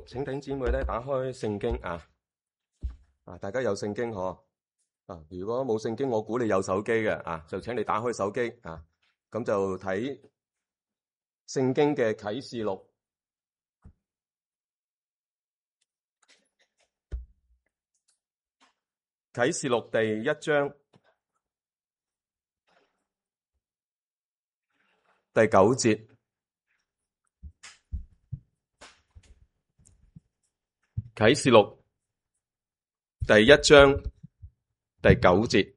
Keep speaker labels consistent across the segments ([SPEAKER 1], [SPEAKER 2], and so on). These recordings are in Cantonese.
[SPEAKER 1] 請弟兄姊妹咧打開聖經大家有聖經嗬如果冇聖經，我估你有手機嘅就請你打開手機咁就睇聖經嘅啟示錄第1章第9節。啟示錄第1章第9節。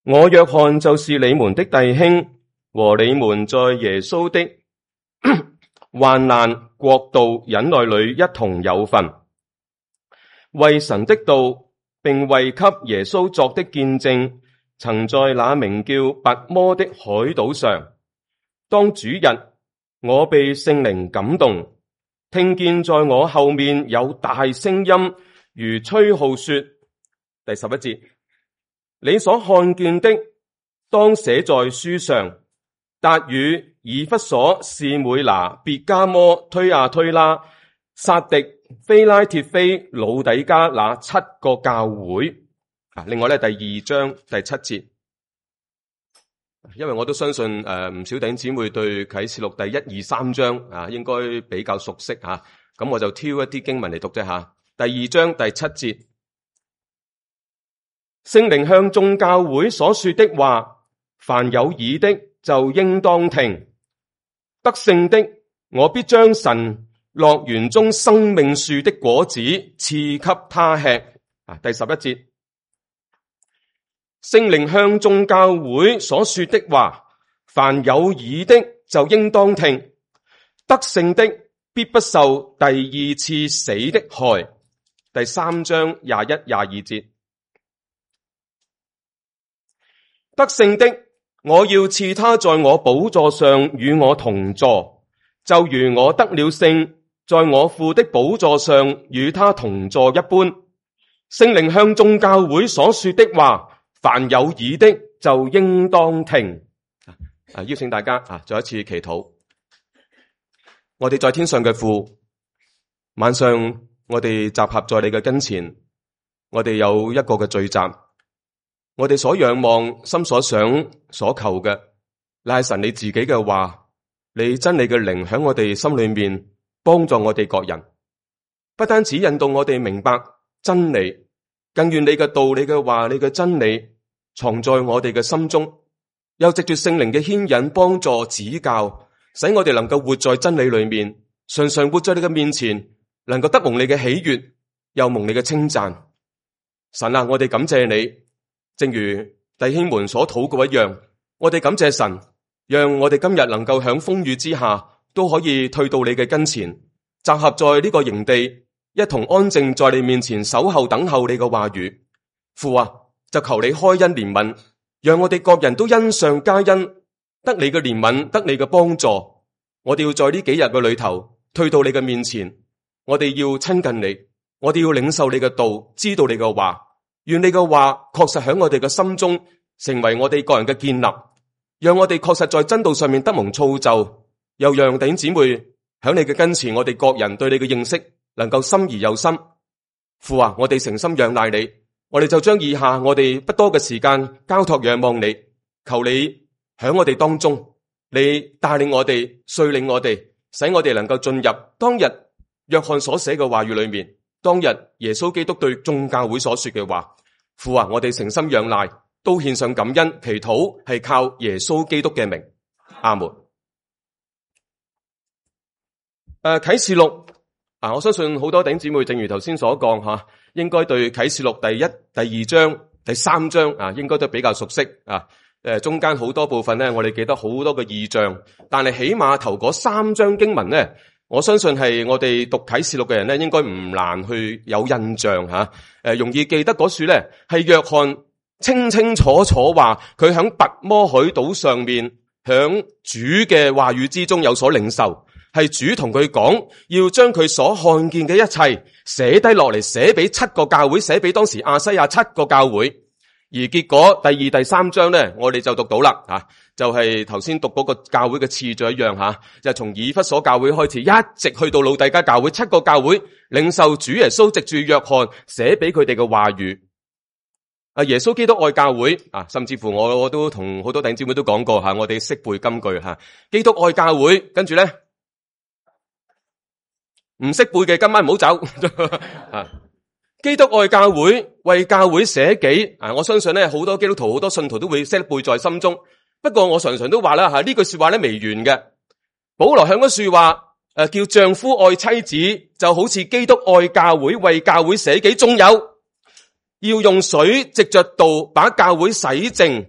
[SPEAKER 1] 我約翰就是你們的弟兄，和你們在耶穌的患難、國度、忍耐裏一同有份，為神的道並為給耶穌作的見證，曾在那名叫拔摩的海島上，當主日，我被聖靈感動，聽見在我後面有大聲音，如吹號說，第11節，你所看見的，當寫在書上，達與以弗所、士每拿、別迦摩、推亞推拉、撒狄、非拉鐵非、老底加那7個教會。另外第2章第7節，因為我都相信唔少弟兄姊妹對啟示錄第1、2、3章應該比較熟悉咁我就挑一啲經文嚟讀啫第2章第7節，聖靈向眾教會所說的話，凡有耳的就應當聽。得勝的，我必將神樂園中生命樹的果子賜給他吃。第11節，聖靈向眾教會所說的話，凡有耳的就應當聽。得勝的必不受第二次死的害。第3章21、22節，得勝的，我要賜他在我寶座上與我同坐，就如我得了勝，在我父的寶座上與他同坐一般。聖靈向眾教會所說的話，凡有耳的就應當聽。邀請大家再一次祈禱。我哋在天上嘅父，晚上我哋集合在你嘅跟前，我哋有一個嘅聚集，我哋所仰望、心所想、所求嘅，乃係神你自己嘅話，你真理嘅靈響我哋心裏面幫助我哋各人，不單止引導我哋明白真理，更願你嘅道、你嘅話、你嘅真理藏在我哋嘅心中，又藉住聖靈嘅牽引、幫助、指教，使我哋能夠活在真理裏面，常常活在你嘅面前，能夠得蒙你嘅喜悅，又蒙你嘅稱讚。神啊，我哋感謝你，正如弟兄們所禱告一樣，我哋感謝神，讓我哋今日能夠響風雨之下都可以退到你嘅跟前，集合在呢個營地，一同安靜在你面前守候等候你嘅話語。父啊，就求你開恩憐憫，讓我哋各人都恩上加恩，得你嘅憐憫，得你嘅幫助。我哋要在呢幾日嘅裏頭退到你嘅面前，我哋要親近你，我哋要領受你嘅道，知道你嘅話。願你嘅話確實喺我哋嘅心中成為我哋個人嘅建立，讓我哋確實在真道上面得蒙造就，又讓弟兄姊妹喺你嘅跟前，我哋各人對你嘅認識能夠深而又深。父啊，我哋誠心仰賴你，我哋就將以下我哋不多嘅時間交託仰望你，求你喺我哋當中，你帶領我哋，率領我哋，使我哋能夠進入當日約翰所寫嘅話語裏面，當日耶穌基督對眾教會所說嘅話。父啊，我哋誠心仰賴，都獻上感恩祈禱，係靠耶穌基督嘅名。阿門。啟示錄我相信好多弟兄姊妹正如頭先所講應該對啟示錄第1、第2章、第3章應該都比較熟悉中間好多部分呢，我哋記得好多嘅異象，但係起碼頭嗰3章經文呢，我相信係我哋讀啟示錄嘅人呢，應該唔難去有印象容易記得嗰處呢，係約翰清清楚楚話佢響拔摩海島上面響主嘅話語之中有所領受，係主同佢講要將佢所看見嘅一切寫低落嚟，寫俾7個教會，寫俾當時亞西亞7個教會。而結果第2、第3章咧，我哋就讀到啦，就係頭先讀嗰個教會嘅次序一樣，就係從以弗所教會開始，一直去到老底嘉教會，7個教會領受主耶穌藉住約翰寫俾佢哋嘅話語。耶穌基督愛教會，甚至乎我都同好多弟兄姊妹都講過，我哋識背金句，基督愛教會，跟住咧唔識背嘅今晚唔好走。基督愛教會，為教會捨己。我相信咧，好多基督徒、好多信徒都會識得背在心中。不過我常常都話啦，呢句說話咧未完嘅。保羅響嗰說話，叫丈夫愛妻子，就好似基督愛教會，為教會捨己。仲有要用水藉着道把教會洗淨，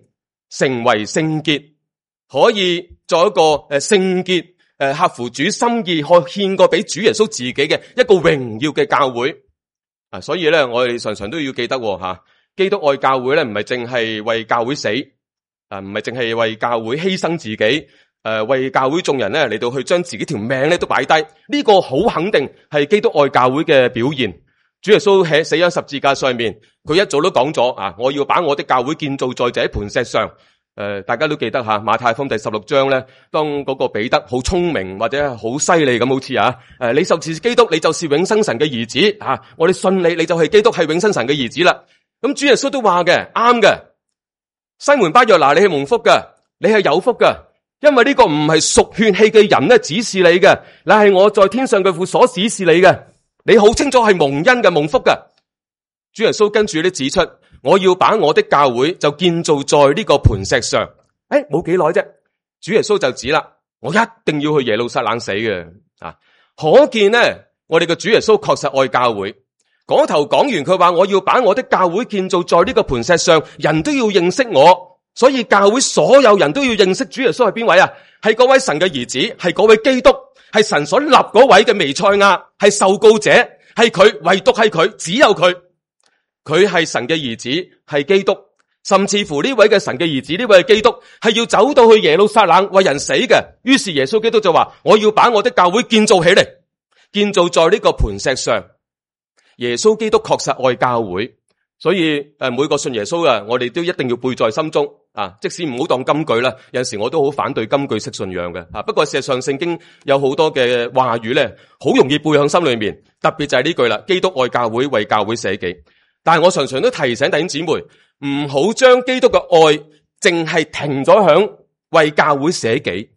[SPEAKER 1] 成為聖潔，可以做一個聖潔合乎主心意，可獻過俾主耶穌自己嘅一個榮耀嘅教會。所以咧，我哋常常都要記得基督愛教會咧，唔係淨係為教會死，唔係淨係為教會犧牲自己，為教會眾人咧嚟到去將自己條命咧都擺低。呢個好肯定係基督愛教會嘅表現。主耶穌喺死喺十字架上面，佢一早都講咗我要把我的教會建造在這磐石上。大家都記得馬太福音第16章咧，當嗰個彼得好聰明或者好犀利咁，好似你就是基督，你就是永生神嘅兒子我哋信你，你就係基督，係永生神嘅兒子啦。咁主耶穌都話嘅啱嘅，西門巴約拿，你係蒙福嘅，你係有福嘅，因為呢個唔係屬血氣嘅人咧指示你嘅，乃係我在天上嘅父所指示你嘅，你好清楚係蒙恩嘅，蒙福嘅。主耶穌跟住咧指出，我要把我的教會就建造在呢個磐石上。冇幾耐啫，主耶穌就指啦，我一定要去耶路撒冷死嘅。可見呢，我哋嘅主耶穌確實愛教會。嗰頭講完，佢話我要把我的教會建造在呢個磐石上，人都要認識我。所以教會所有人都要認識主耶穌係邊位啊？係嗰位神嘅兒子，係嗰位基督，係神所立嗰位嘅彌賽亞，係受膏者，係佢，唯獨係佢，只有佢。佢係神嘅兒子，係基督，甚至乎呢位嘅神嘅兒子，呢位嘅基督係要走到去耶路撒冷為人死嘅。於是耶穌基督就話，我要把我的教會建造起嚟，建造在呢個磐石上。耶穌基督確實愛教會，所以每個信耶穌嘅，我哋都一定要背在心中。即使唔好當金句啦，有陣時我都好反對金句式信仰嘅。不過事實上聖經有好多嘅話語咧，好容易背響心裏面，特別就係呢句啦，基督愛教會，為教會捨己。但係我常常都提醒弟兄姊妹，唔好將基督嘅愛淨係停咗響為教會捨己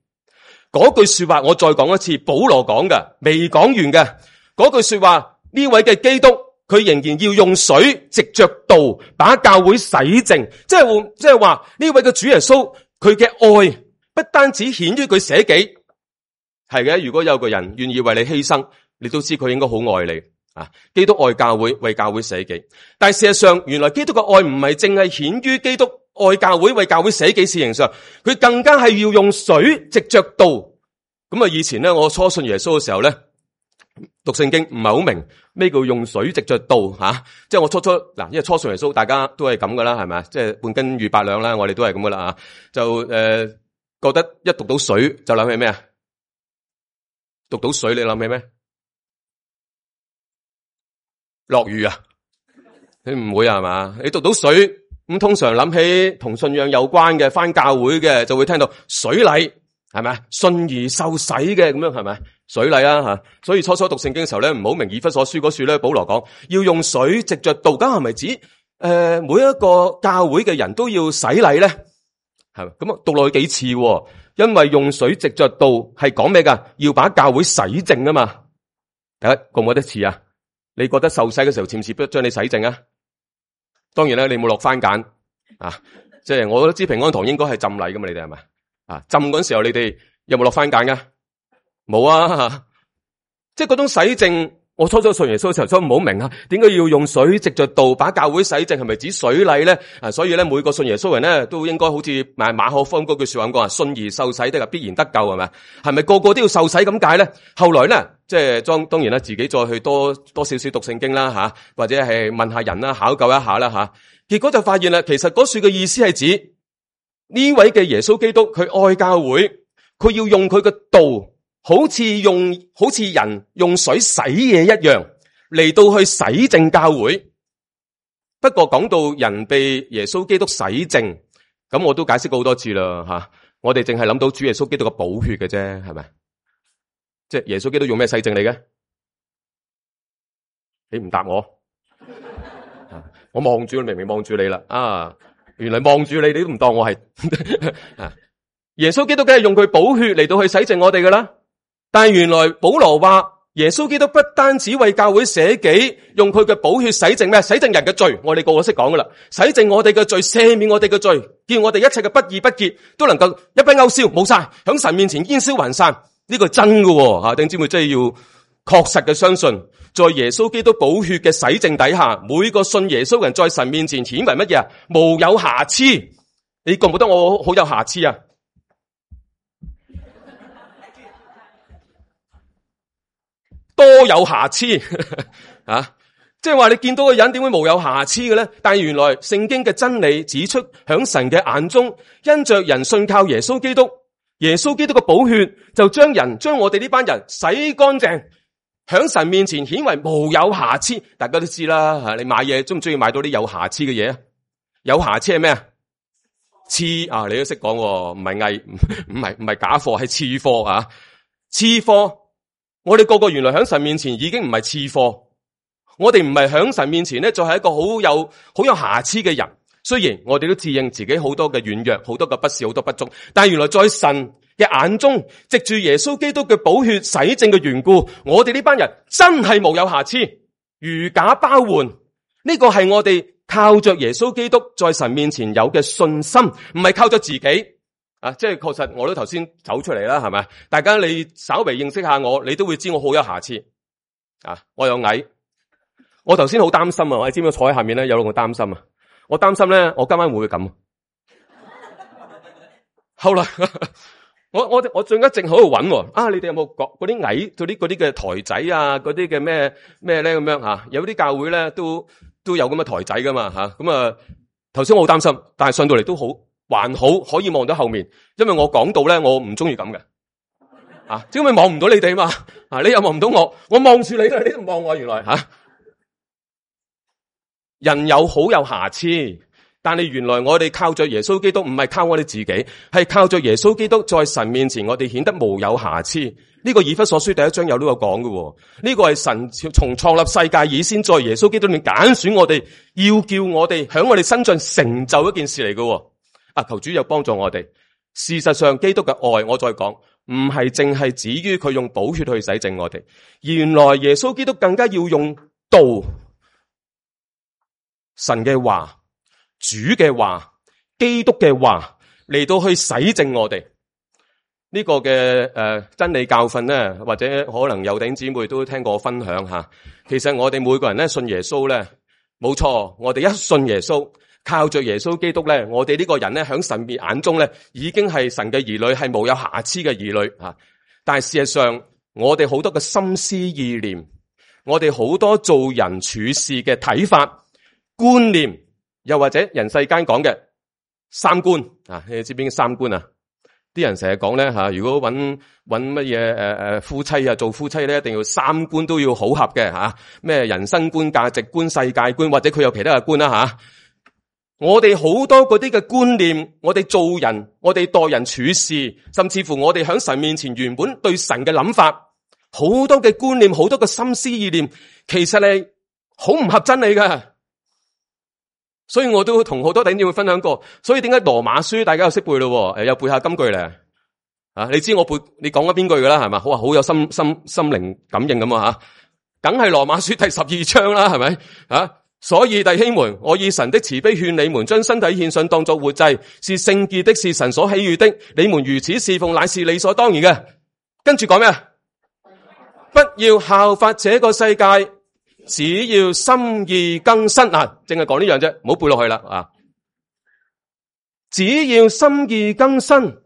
[SPEAKER 1] 嗰句說話。我再講一次，保羅講嘅未講完嘅嗰句說話，呢位嘅基督佢仍然要用水藉着道把教會洗淨，即係話呢位嘅主耶穌佢嘅愛不單止顯於佢捨己，係嘅。如果有個人願意為你犧牲，你都知佢應該好愛你。基督愛教會，為教會捨己。但係事實上，原來基督嘅愛唔係淨係顯於基督愛教會，為教會捨己事情上，佢更加係要用水藉着道。咁以前咧，我初信耶穌嘅時候咧，讀聖經唔係好明咩叫用水藉着道即係我初因為初信耶穌，大家都係咁噶啦，係咪？即係半斤預8兩啦，我哋都係咁噶啦就覺得一讀到水就諗起咩啊？讀到水你諗起咩？落雨啊？你唔會係嘛？你讀到水咁，通常諗起同信仰有關嘅，返教會嘅就會聽到水禮，係咪？信而受洗嘅咁樣，係咪？水禮吓。所以初初讀聖經嘅時候咧，唔好明以弗所書嗰處咧，保羅講要用水藉着道，咁係咪指每一個教會嘅人都要洗禮咧？係咪？咁讀落去幾次？因為用水藉着道係講咩噶？要把教會洗淨啊嘛。大家覺唔覺得似啊？你覺得受洗嘅時候似唔似將你洗淨啊？當然啦，你冇落番梘即係我都知平安堂應該係浸禮噶嘛，你哋係咪浸嗰陣時候你哋有冇落番梘噶？冇啊，即係嗰種洗淨。我初信耶穌嘅時候，初唔好明點解要用水藉着道把教會洗淨，係咪指水禮咧？所以咧，每個信耶穌人咧都應該好似馬可福音嗰句說話咁講信而受洗的必然得救，係咪？係咪個個都要受洗咁解咧？後來咧，即係當然啦，自己再去多少少讀聖經啦或者係問下人啦，考究一下啦結果就發現啦，其實嗰處嘅意思係指呢位嘅耶穌基督，佢愛教會，佢要用佢嘅道。好似人用水洗嘢一樣嚟到去洗淨教會。不過講到人被耶穌基督洗淨，咁我都解釋過好多次啦吓。我哋淨係諗到主耶穌基督嘅寶血嘅啫，係咪？即係耶穌基督用咩洗淨你嘅？你唔答我，我望住你，明明望住你啦。啊，原來望住你，你都唔當我係。耶穌基督梗係用佢寶血嚟到去洗淨我哋噶啦。但係原來保羅話，耶穌基督不單止為教會捨己，用佢嘅寶血洗淨咩？洗淨人嘅罪，我哋個個識講噶啦。洗淨我哋嘅罪，赦免我哋嘅罪，叫我哋一切嘅不義不潔都能夠一筆勾銷，冇晒，響神面前煙消雲散。呢個係真嘅吓，弟兄姊妹真係要確實嘅相信，在耶穌基督寶血嘅洗淨底下，每個信耶穌嘅人在神面前顯為乜嘢啊？無有瑕疵。你覺唔覺得我好有瑕疵啊？多有瑕疵啊！即係話你見到個人點會無有瑕疵嘅咧？但係原來聖經嘅真理指出，響神嘅眼中，因着人信靠耶穌基督，耶穌基督嘅寶血就將我哋呢班人洗乾淨，響神面前顯為無有瑕疵。大家都知啦吓，你買嘢中唔中意買到啲有瑕疵嘅嘢啊？有瑕疵係咩啊？次啊，你都識講，唔係偽，唔係假貨，係次貨啊！次貨。我哋個個原來喺神面前已經唔係次貨，我哋唔係喺神面前咧，就係一個好有瑕疵嘅人。雖然我哋都自認自己好多嘅軟弱，好多嘅不是，好多不足，但係原來在神嘅眼中，藉住耶穌基督嘅寶血洗淨嘅緣故，我哋呢班人真係無有瑕疵，如假包換。呢個係我哋靠着耶穌基督在神面前有嘅信心，唔係靠着自己。即係確實，我都頭先走出嚟啦，係咪？大家你稍微認識下我，你都會知我好有瑕疵。我又矮，我頭先好擔心啊！我知唔知坐喺下面咧有兩個擔心啊？我擔心咧，我今晚會唔會咁？後來我最近正喺度揾啊！你哋有冇嗰啲矮嗰啲嘅台仔啊？嗰啲嘅咩咧咁樣吓？有啲教會咧都有咁嘅台仔噶嘛吓？咁啊，頭先我好擔心，但係上到嚟都還好可以望到後面，因為我講到咧，我唔中意咁嘅，因為望唔到你哋嘛，你又望唔到我望住你啦，你都唔望我，原來人有好有瑕疵，但係原來我哋靠着耶穌基督，唔係靠我哋自己，係靠着耶穌基督在神面前，我哋顯得無有瑕疵。呢個以弗所書第1章有呢個講嘅，呢個係神從創立世界以先，在耶穌基督裏面揀選我哋，要叫我哋響我哋身上成就一件事嚟嘅。求主有幫助我哋。事實上，基督嘅愛，我再講，唔係淨係止於佢用寶血去洗淨我哋。原來耶穌基督更加要用道、神嘅話、主嘅話、基督嘅話嚟到去洗淨我哋。呢個嘅真理教訓咧，或者可能有弟兄姊妹都聽過我分享吓。其實我哋每個人咧信耶穌咧，冇錯，我哋一信耶穌。靠着耶穌基督咧，我哋呢個人咧喺神面眼中咧，已經係神嘅兒女，係無有瑕疵嘅兒女吓。但係事實上，我哋好多嘅心思意念，我哋好多做人處事嘅睇法、觀念，又或者人世間講嘅三觀啊，你知邊個三觀啊？啲人成日講咧吓，如果搵乜嘢夫妻啊，做夫妻咧，一定要三觀都要好合嘅吓，咩人生觀、價值觀、世界觀，或者佢有其他嘅觀啦吓。我哋好多嗰啲嘅觀念，我哋做人，我哋待人處事，甚至乎我哋喺神面前原本對神嘅諗法，好多嘅觀念，好多嘅心思意念，其實係好唔合真理㗎。所以我都同好多弟兄姊妹分享過。所以點解羅馬書大家又識背咯？又背下金句咧。你知我背你講咗邊句噶啦，係嘛？好有心靈感應咁啊吓，梗係羅馬書第12章啦，係咪啊？所以弟兄們，我以神的慈悲勸你們，將身體獻上當作活祭，是聖潔的，是神所喜悅的。你們如此侍奉，乃是理所當然嘅。跟住講咩？不要效法這個世界，只要心意更新啊！淨係講呢樣啫，唔好背落去啦啊！只要心意更新，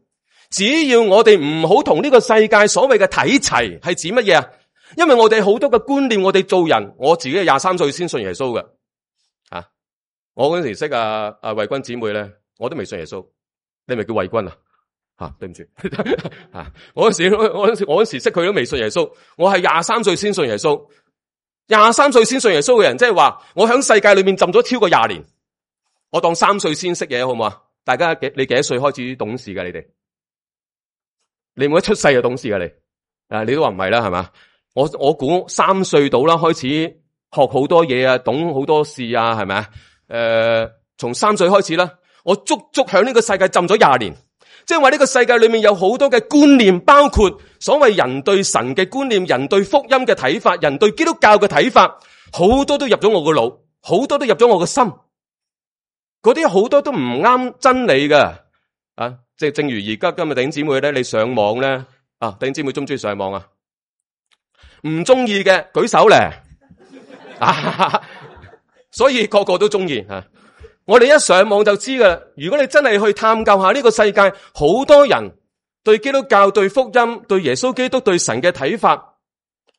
[SPEAKER 1] 只要我哋唔好同呢個世界所謂嘅睇齊，係指乜嘢啊？因為我哋好多嘅觀念，我哋做人，我自己係23歲先信耶穌嘅。我嗰陣時識慧君姊妹咧，我都未信耶穌。你咪叫慧君啊？對唔住我嗰時識佢都未信耶穌。我係23歲先信耶穌。23歲先信耶穌嘅人，即係話我喺世界裏面浸咗超過20年，我當3歲先識嘢，好唔好啊？大家你幾多歲開始懂事噶？你哋你冇一出世就懂事噶？你都話唔係啦，係嘛？我估3歲到啦，開始學好多嘢啊，懂好多事啊，係咪啊？從3歲開始啦，我足喺呢個世界浸咗20年。即係話呢個世界裏面有好多嘅觀念，包括所謂人對神嘅觀念、人對福音嘅睇法、人對基督教嘅睇法，好多都入咗我個腦，好多都入咗我個心。嗰啲好多都唔啱真理嘅啊！即係正如而家今日弟兄姊妹咧，你上網咧啊，弟兄姊妹中唔中意上網啊？唔中意嘅舉手咧啊！所以個個都中意啊！我哋一上網就知噶啦。如果你真係去探究下呢個世界，好多人對基督教、對福音、對耶穌基督、對神嘅睇法，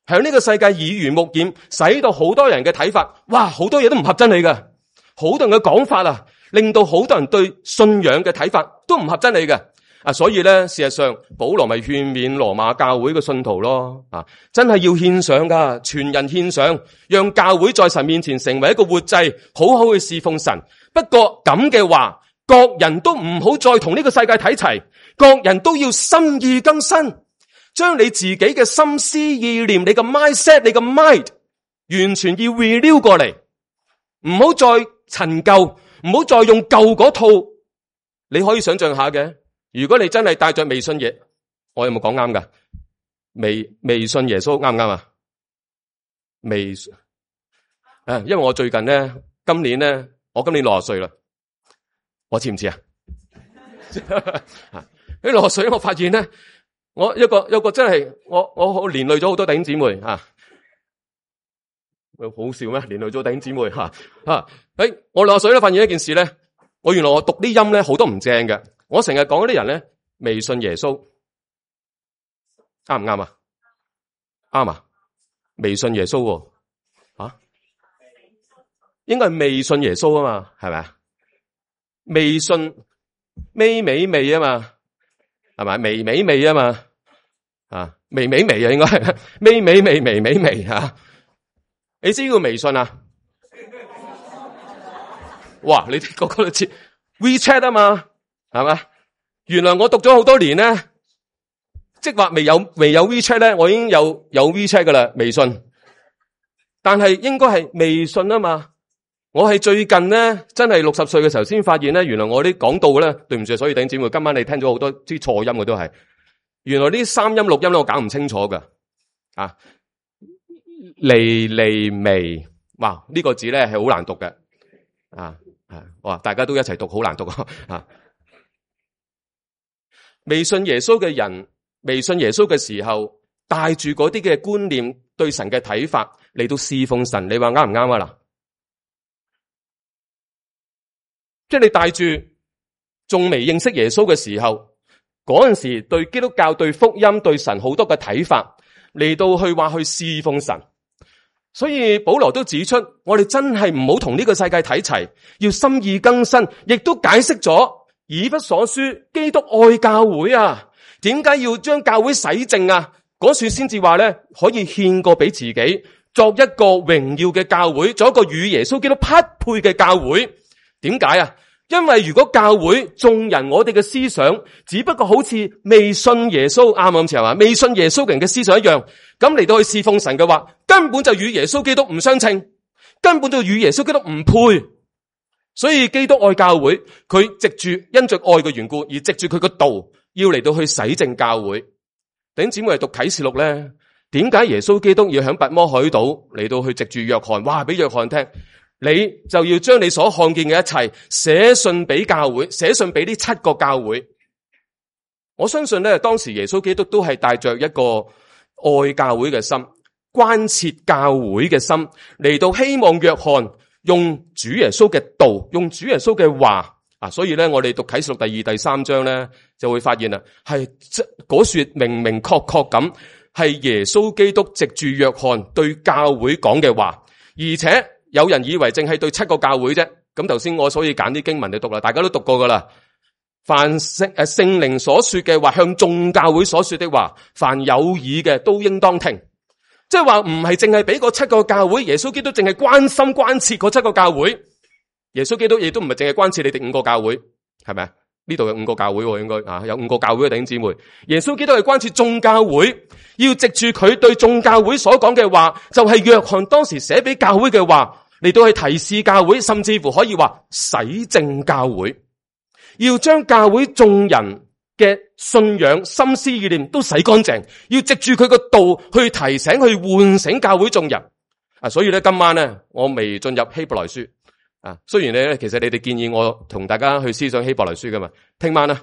[SPEAKER 1] 喺呢個世界耳濡目染，使到好多人嘅睇法，哇，好多嘢都唔合真理嘅，好多人嘅講法啊，令到好多人對信仰嘅睇法都唔合真理嘅啊。所以咧，事實上保羅咪勸勉羅馬教會嘅信徒咯啊，真係要獻上噶，全人獻上，讓教會在神面前成為一個活祭，好好去侍奉神。不過咁嘅話，各人都唔好再同呢個世界睇齊，各人都要心意更新，將你自己嘅心思意念、你嘅 mindset、你嘅 mind 完全要 renew 過嚟，唔好再陳舊，唔好再用舊嗰套。你可以想象下嘅，如果你真係帶着未信耶，我有冇講啱噶？未信耶穌啱唔啱啊？未啊，因為我最近咧，今年60歲啦，我似唔似啊？喺60歲，我發現咧，我有個真係我連累咗好多弟兄姊妹啊！好笑咩？連累咗弟兄姊妹吓我60歲咧，發現一件事咧，原來我讀啲音咧好多唔正嘅。我成日講嗰啲人咧未信耶穌，啱唔啱啊？啱啊！未信耶穌應該係未信耶穌啊嘛，係咪啊？未信微啊嘛，係咪？微啊嘛，啊微啊，應該係微啊！你知叫微信啊？哇！你哋個個都知 WeChat 啊嘛，係嘛？原來我讀咗好多年咧，即係話未有 WeChat 咧，我已經有 WeChat 噶啦，微信。但係應該係微信啊嘛。我係最近咧，真係60歲嘅時候先發現咧，原來我啲講道咧，對唔住，所以弟兄姊妹，今晚你聽咗好多啲錯音嘅都係，原來呢三音六音咧，我搞唔清楚噶啊，微，哇，呢個字咧係好難讀嘅啊，哇，大家都一齊讀，好難讀啊！未信耶穌嘅人，未信耶穌嘅時候，帶住嗰啲嘅觀念，對神嘅睇法嚟到侍奉神，你話啱唔啱啊？嗱？即係你帶住仲未認識耶穌嘅時候，嗰陣時對基督教、對福音、對神好多嘅睇法嚟到去話去侍奉神，所以保羅都指出，我哋真係唔好同呢個世界睇齊，要心意更新，亦都解釋咗以弗所書基督愛教會啊，點解要將教會洗淨啊？嗰處先至話咧，可以獻過俾自己，作一個榮耀嘅教會，做一個與耶穌基督匹配嘅教會。點解啊？因為如果教會眾人我哋嘅思想只不過好似未信耶穌啱啱先係嘛，未信耶穌嘅人嘅思想一樣，咁嚟到去侍奉神嘅話，根本就與耶穌基督唔相稱，根本就與耶穌基督唔配。所以基督愛教會，佢藉住因着愛嘅緣故，而藉住佢個道，要嚟到去洗淨教會。弟兄姊妹係讀啟示錄咧，點解耶穌基督要響拔摩海島嚟到去藉住約翰，話俾約翰聽？你就要將你所看見嘅一切寫信俾教會，寫信俾呢7個教會。我相信咧，當時耶穌基督都係帶着一個愛教會嘅心，關切教會嘅心，嚟到希望約翰用主耶穌嘅道，用主耶穌嘅話啊。所以咧，我哋讀啟示錄第2、第3章咧，就會發現啦，係嗰說明明確確咁，係耶穌基督藉住約翰對教會講嘅話，而且。有人以為淨係對7個教會啫，咁頭先我所以揀啲經文嚟讀啦，大家都讀過噶啦。凡聖靈所說嘅話，向眾教會所說的話，凡有耳嘅都應當聽。即係話唔係淨係俾嗰7個教會，耶穌基督淨係關心關切嗰7個教會，耶穌基督亦都唔係淨係關切你哋5個教會，係咪啊？呢度有5個教會應該有5個教會嘅弟兄姊妹，耶穌基督係關切眾教會，要藉住佢對眾教會所講嘅話，就係約翰當時寫俾教會嘅話，嚟到去提示教會，甚至乎可以話洗淨教會，要將教會眾人嘅信仰、心思意念都洗乾淨，要藉住佢個道去提醒、去喚醒教會眾人。所以咧今晚咧，我未進入希伯來書。雖然咧，其實你哋建議我同大家去思想希伯來書噶嘛，聽晚啦，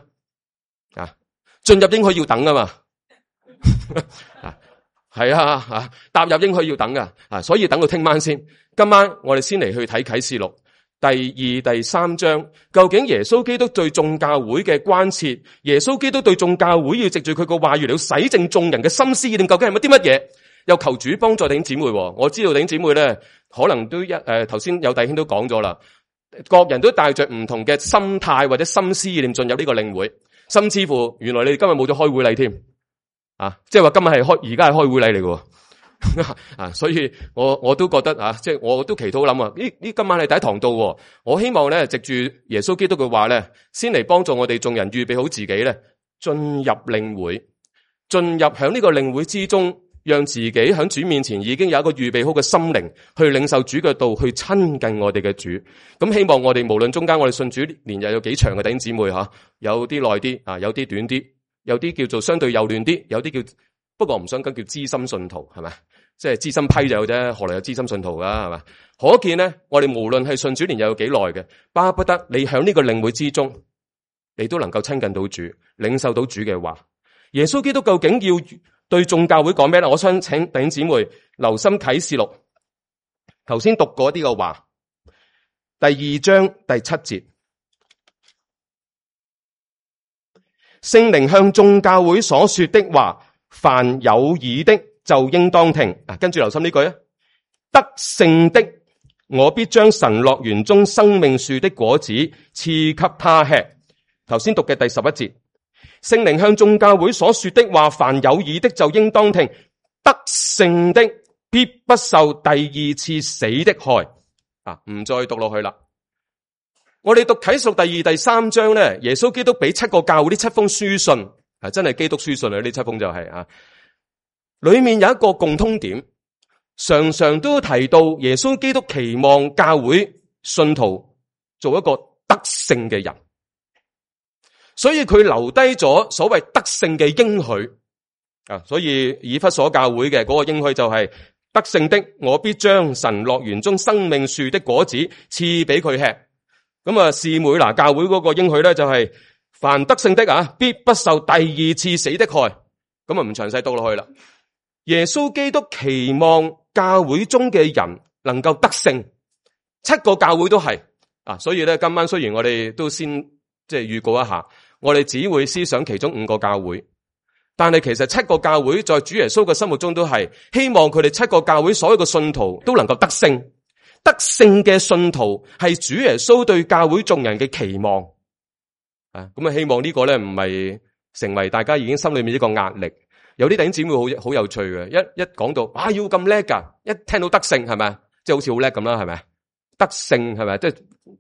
[SPEAKER 1] 進入應許要等噶嘛，係踏入應許要等噶，所以等到聽晚先。今晚我哋先嚟去睇啟示錄第2、第3章，究竟耶穌基督對眾教會嘅關切，耶穌基督對眾教會要藉住佢個話語嚟洗淨眾人嘅心思意念，究竟係乜啲乜嘢？又求主幫助弟兄姊妹。我知道弟兄姊妹咧，可能都頭先有弟兄都講咗啦，各人都帶着唔同嘅心態或者心思意念進入呢個領會，甚至乎原來你哋今日冇咗開會禮添，即係話今日而家係開會禮嚟嘅，所以我都覺得即係我都祈禱諗呢今晚係第一堂到，我希望咧藉住耶穌基督嘅話咧，先嚟幫助我哋眾人預備好自己咧，進入領會，進入響呢個領會之中。讓自己喺主面前已經有一個預備好嘅心靈，去領受主嘅道，去親近我哋嘅主。咁希望我哋無論中間我哋信主年日有幾長嘅弟兄姊妹有啲耐啲有啲短啲，有啲叫做相對幼嫩啲，有啲叫不過唔想跟叫資深信徒係咪？即係資深批就有啫，何來有資深信徒噶係咪？可見咧，我哋無論係信主年日有幾耐嘅，巴不得你喺呢個領會之中，你都能夠親近到主，領受到主嘅話。耶穌基督究竟要對眾教會講咩咧？我想請弟兄姊妹留心啟示錄，頭先讀過啲嘅話，第2章第7節，聖靈向眾教會所說的話，凡有耳的就應當聽。跟住留心呢句得勝的，我必將神樂園中生命樹的果子賜給他吃。頭先讀嘅第11節。聖靈向眾教會所說的話，凡有耳的就應當聽。得勝的必不受第2次死的害。唔再讀落去啦。我哋讀啟示錄第2、第3章咧，耶穌基督俾7個教會呢7封書信，真係基督書信啊！呢7封就係裏面有一個共通點，常常都提到耶穌基督期望教會信徒做一個得勝嘅人。所以佢留低咗所謂得勝嘅應許所以以弗所教會嘅嗰個應許就係得勝的，我必將神樂園中生命樹的果子賜俾佢吃。咁士每拿教會嗰個應許咧就係凡得勝的必不受第2次死的害。咁唔詳細讀落去啦。耶穌基督期望教會中嘅人能夠得勝，7個教會都係所以咧今晚雖然我哋都先即係預告一下。我哋只會思想其中5個教會，但係其實7個教會在主耶穌嘅心目中都係希望佢哋7個教會所有嘅信徒都能夠得勝。得勝嘅信徒係主耶穌對教會眾人嘅期望。咁希望呢個咧唔係成為大家已經心裏面一個壓力。有啲弟兄姊妹好有趣嘅，一講到要咁叻噶，一聽到得勝係咪？即係好似好叻咁啦，係咪？得勝係咪？即係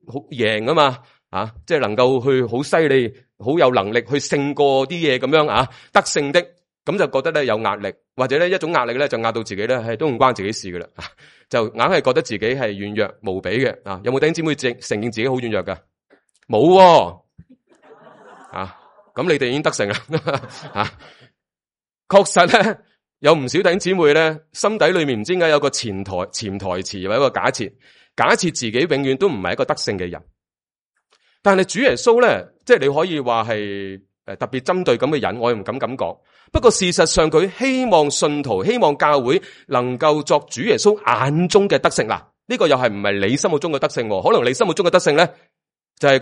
[SPEAKER 1] 好贏啊嘛。即係能夠去好犀利，好有能力去勝過啲嘢咁樣得勝的，咁就覺得咧有壓力，或者咧一種壓力咧就壓到自己咧係都唔關自己事噶啦，就硬係覺得自己係軟弱無比嘅。有冇弟兄姊妹承認自己好軟弱噶？冇咁你哋已經得勝啦。確實咧有唔少弟兄姊妹咧心底裏面唔知點解有個潛台詞或者一個假設自己永遠都唔係一個得勝嘅人。但係主耶穌咧，即係你可以話係特別針對咁嘅人，我又唔敢咁講。不過事實上佢希望信徒、希望教會能夠作主耶穌眼中嘅得勝。嗱，呢個又係唔係你心目中嘅得勝？可能你心目中嘅得勝咧，就係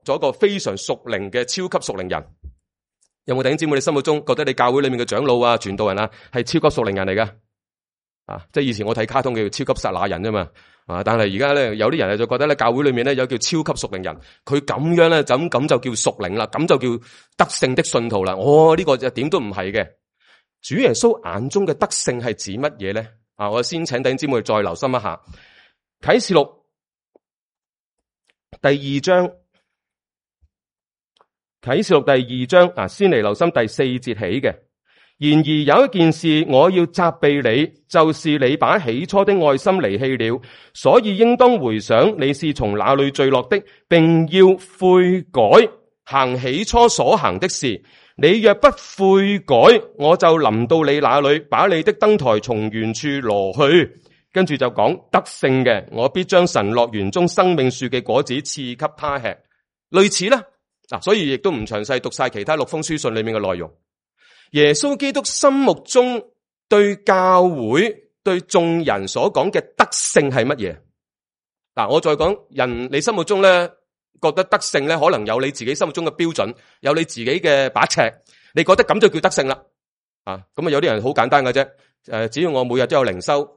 [SPEAKER 1] 做一個非常屬靈嘅超級屬靈人。有冇弟兄姊妹你心目中覺得你教會裏面嘅長老傳道人係超級屬靈人嚟噶？即係以前我睇卡通叫超級撒那人啫嘛。但係而家咧有啲人就覺得咧教會裏面咧有叫超級屬靈人，佢咁樣咧咁就叫屬靈啦，咁就叫得勝的信徒啦。呢個就點都唔係嘅。主耶穌眼中嘅德性係指乜嘢咧？我先請弟兄姊妹再留心一下啟示錄第二章。啟示錄第二章先嚟留心第4節起嘅。然而有一件事我要責備你，就是你把起初的愛心離棄了，所以應當回想你是從哪裏墜落的，並要悔改，行起初所行的事。你若不悔改，我就臨到你那裏，把你的燈台從原處挪去。跟住就講得勝嘅，我必將神樂園中生命樹嘅果子賜給他吃。類似啦，所以亦都唔詳細讀晒其他6封書信裏面嘅內容。耶穌基督心目中對教會對眾人所講嘅德性係乜嘢？我再講人，你心目中咧覺得德性咧，可能有你自己心目中嘅標準，有你自己嘅把尺，你覺得咁就叫德性啦。咁有啲人好簡單嘅啫，只要我每日都有靈修，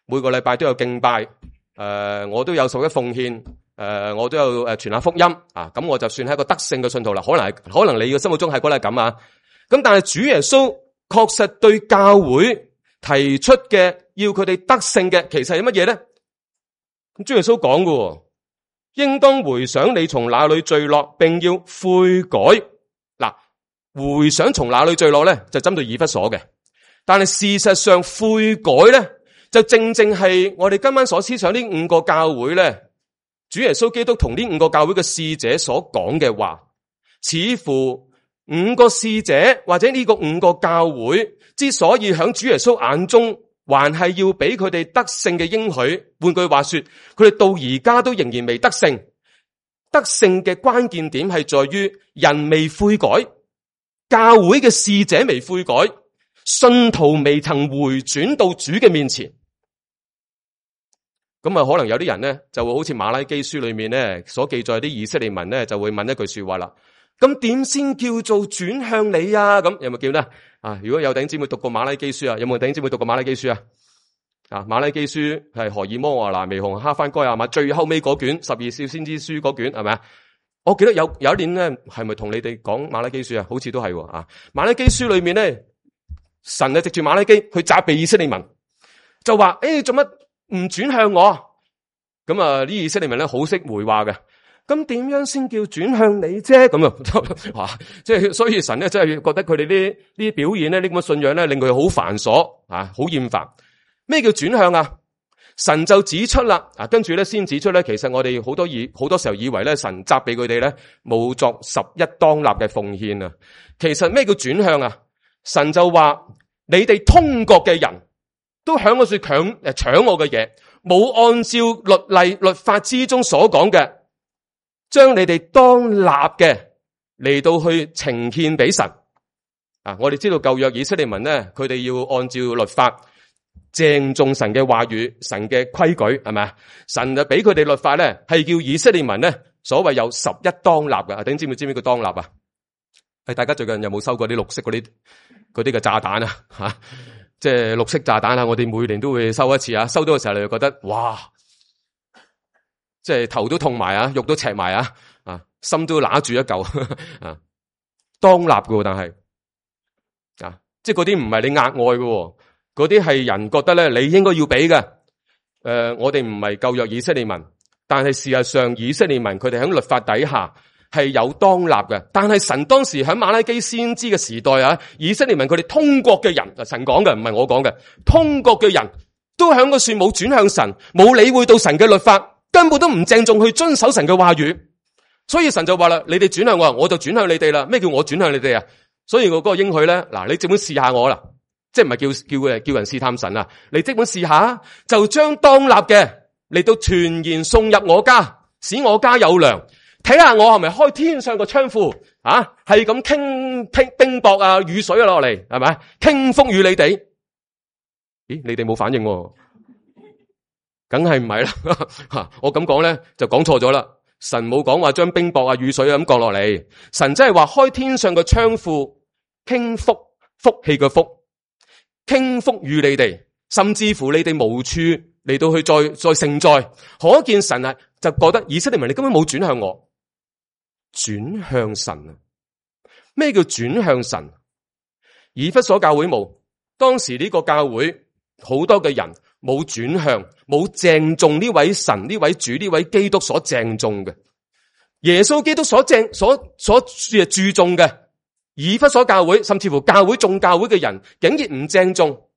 [SPEAKER 1] 每個禮拜都有敬拜，我都有11奉獻，我都有傳下福音，咁我就算係一個德性嘅信徒啦。可能你嘅心目中係覺得係咁啊。咁但係主耶穌確實對教會提出嘅要佢哋得勝嘅，其實係乜嘢咧？咁主耶穌講嘅，應當回想你從哪裏墜落，並要悔改。回想從哪裏墜落咧，就針對以弗所嘅。但係事實上悔改咧，就正正係我哋今晚所思想呢5個教會咧，主耶穌基督同呢5個教會嘅使者所講嘅話，似乎5個使者或者呢個5個教會之所以響主耶穌眼中還係要俾佢哋得勝嘅應許，換句話說，佢哋到而家都仍然未得勝。得勝嘅關鍵點係在於人未悔改，教會嘅使者未悔改，信徒未曾回轉到主嘅面前。咁可能有啲人咧就會好似馬拉基書裏面咧所記載啲以色列民咧就會問一句說話啦。咁點先叫做轉向你啊？咁有冇叫呢？如果有弟兄姊妹讀過馬拉基書啊，有冇弟兄姊妹讀過馬拉基書啊？馬拉基書係何爾摩華拿微紅哈番該亞瑪最後尾嗰卷12小先知書嗰卷係咪啊？我記得有一年咧係咪同你哋講馬拉基書啊？好似都係馬拉基書裏面咧，神藉住馬拉基去責備以色列民，就話做乜唔轉向我？咁啲以色列民咧好識回話嘅。咁點樣先叫轉向你啫？咁即係所以神咧真係覺得佢哋呢啲表現咧，呢咁嘅信仰咧，令佢好繁瑣好厭煩。咩叫轉向啊？神就指出啦，跟住咧先指出咧，其實我哋好多時候以為咧，神責備佢哋咧冇作11當納嘅奉獻啊。其實咩叫轉向啊？神就話你哋通國嘅人都響嗰處搶我嘅嘢，冇按照律例律法之中所講嘅，將你哋當立嘅嚟到去呈獻俾神。我哋知道舊約以色列民咧，佢哋要按照律法鄭重神嘅話語、神嘅規矩，係咪啊？神就俾佢哋律法咧，係叫以色列民咧，所謂有11當立嘅。弟兄姊妹知唔知叫當立啊？大家最近有冇收過啲綠色嗰啲嘅炸彈啊？即係綠色炸彈啊！我哋每年都會收一次啊。收到嘅時候你就覺得哇，即係頭都痛埋肉都赤埋心都揦住一嚿當立嘅，但係即係嗰啲唔係你額外嘅，嗰啲係人覺得咧你應該要俾嘅。我哋唔係舊約以色列民，但係事實上以色列民佢哋喺律法底下係有當立嘅。但係神當時喺馬拉基先知嘅時代以色列民佢哋通國嘅人，神講嘅唔係我講嘅，通國嘅人都喺個樹冇轉向神，冇理會到神嘅律法，根本都唔鄭重去遵守神嘅話語。所以神就話啦，你哋轉向我，我就轉向你哋啦。咩叫我轉向你哋啊？所以我嗰個應許咧，你即管試下我啦，即係唔係叫人試探神啊？你即管試下，就將當立嘅嚟到全然送入我家，使我家有糧。睇下我係咪開天上個窗戶係咁傾冰雹雨水落嚟，係咪傾福與你哋？咦，你哋冇反應喎？梗係唔係啦。我咁講咧就講錯咗啦。神冇講話將冰雹雨水咁降落嚟，神真係話開天上個窗戶傾福氣嘅福，傾福與你哋，甚至乎你哋無處嚟到去再承載。可見神就覺得以色列民你根本冇轉向我，轉向神啊？咩叫轉向神？以弗所教會冇，當時呢個教會好多嘅人冇轉向，冇鄭重呢位神、呢位主、呢位基督所鄭重嘅，耶穌基督所注重嘅。以弗所教會甚至乎教會眾教會嘅人竟然唔鄭重，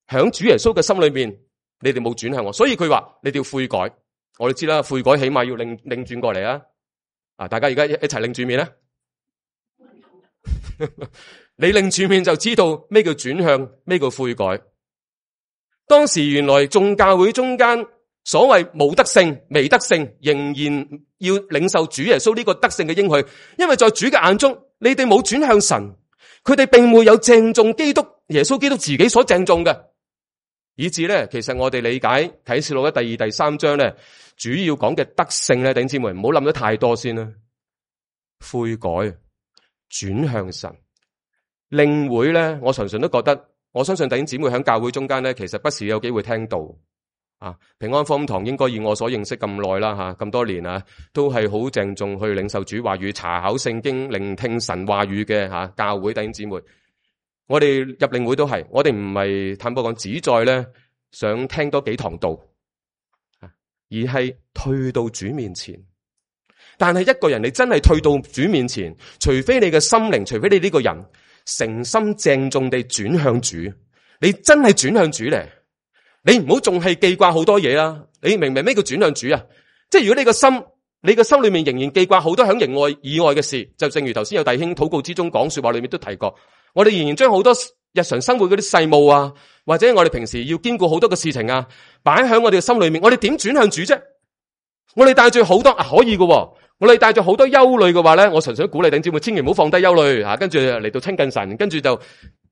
[SPEAKER 1] 響主耶穌嘅心裏面，你哋冇轉向我，所以佢話你哋要悔改。我哋知啦，悔改起碼要擰轉過嚟啊！大家而家一齊擰住面啦。你擰住面就知道咩叫轉向，咩叫悔改。當時原來眾教會中間所謂冇得勝、未得勝，仍然要領受主耶穌呢個得勝嘅應許，因為在主嘅眼中，你哋冇轉向神，佢哋並沒有鄭重基督耶穌基督自己所鄭重嘅，以致咧，其實我哋理解啟示錄嘅第2、第3章咧，主要講嘅得勝咧，弟兄姊妹唔好諗得太多先啦，悔改、轉向神、領會咧，我常常都覺得，我相信弟兄姊妹喺教會中間咧，其實不時有機會聽到。平安福音堂應該以我所認識咁耐啦，咁多年啊，都係好鄭重去領受主話語、查考聖經、聆聽神話語嘅教會弟兄姊妹。我哋入領會都係，我哋唔係坦白講旨在咧想聽多幾堂道，而係退到主面前。但係一個人你真係退到主面前，除非你嘅心靈，除非你呢個人誠心鄭重地轉向主，你真係轉向主咧。你唔好仲係記掛好多嘢啦，你明唔明咩叫轉向主啊？即係如果你個心裏面仍然記掛好多響營外以外嘅事，就正如頭先有弟兄禱告之中講說話裏面都提過，我哋仍然將好多日常生活嗰啲世務啊，或者我哋平時要兼顧好多嘅事情啊，擺喺我哋嘅心裏面，我哋點轉向主啫？我哋帶住好多可以嘅，我哋帶住好多憂慮嘅話咧，我純粹鼓勵弟兄姊妹千祈唔好放低憂慮，跟住嚟到親近神，跟住就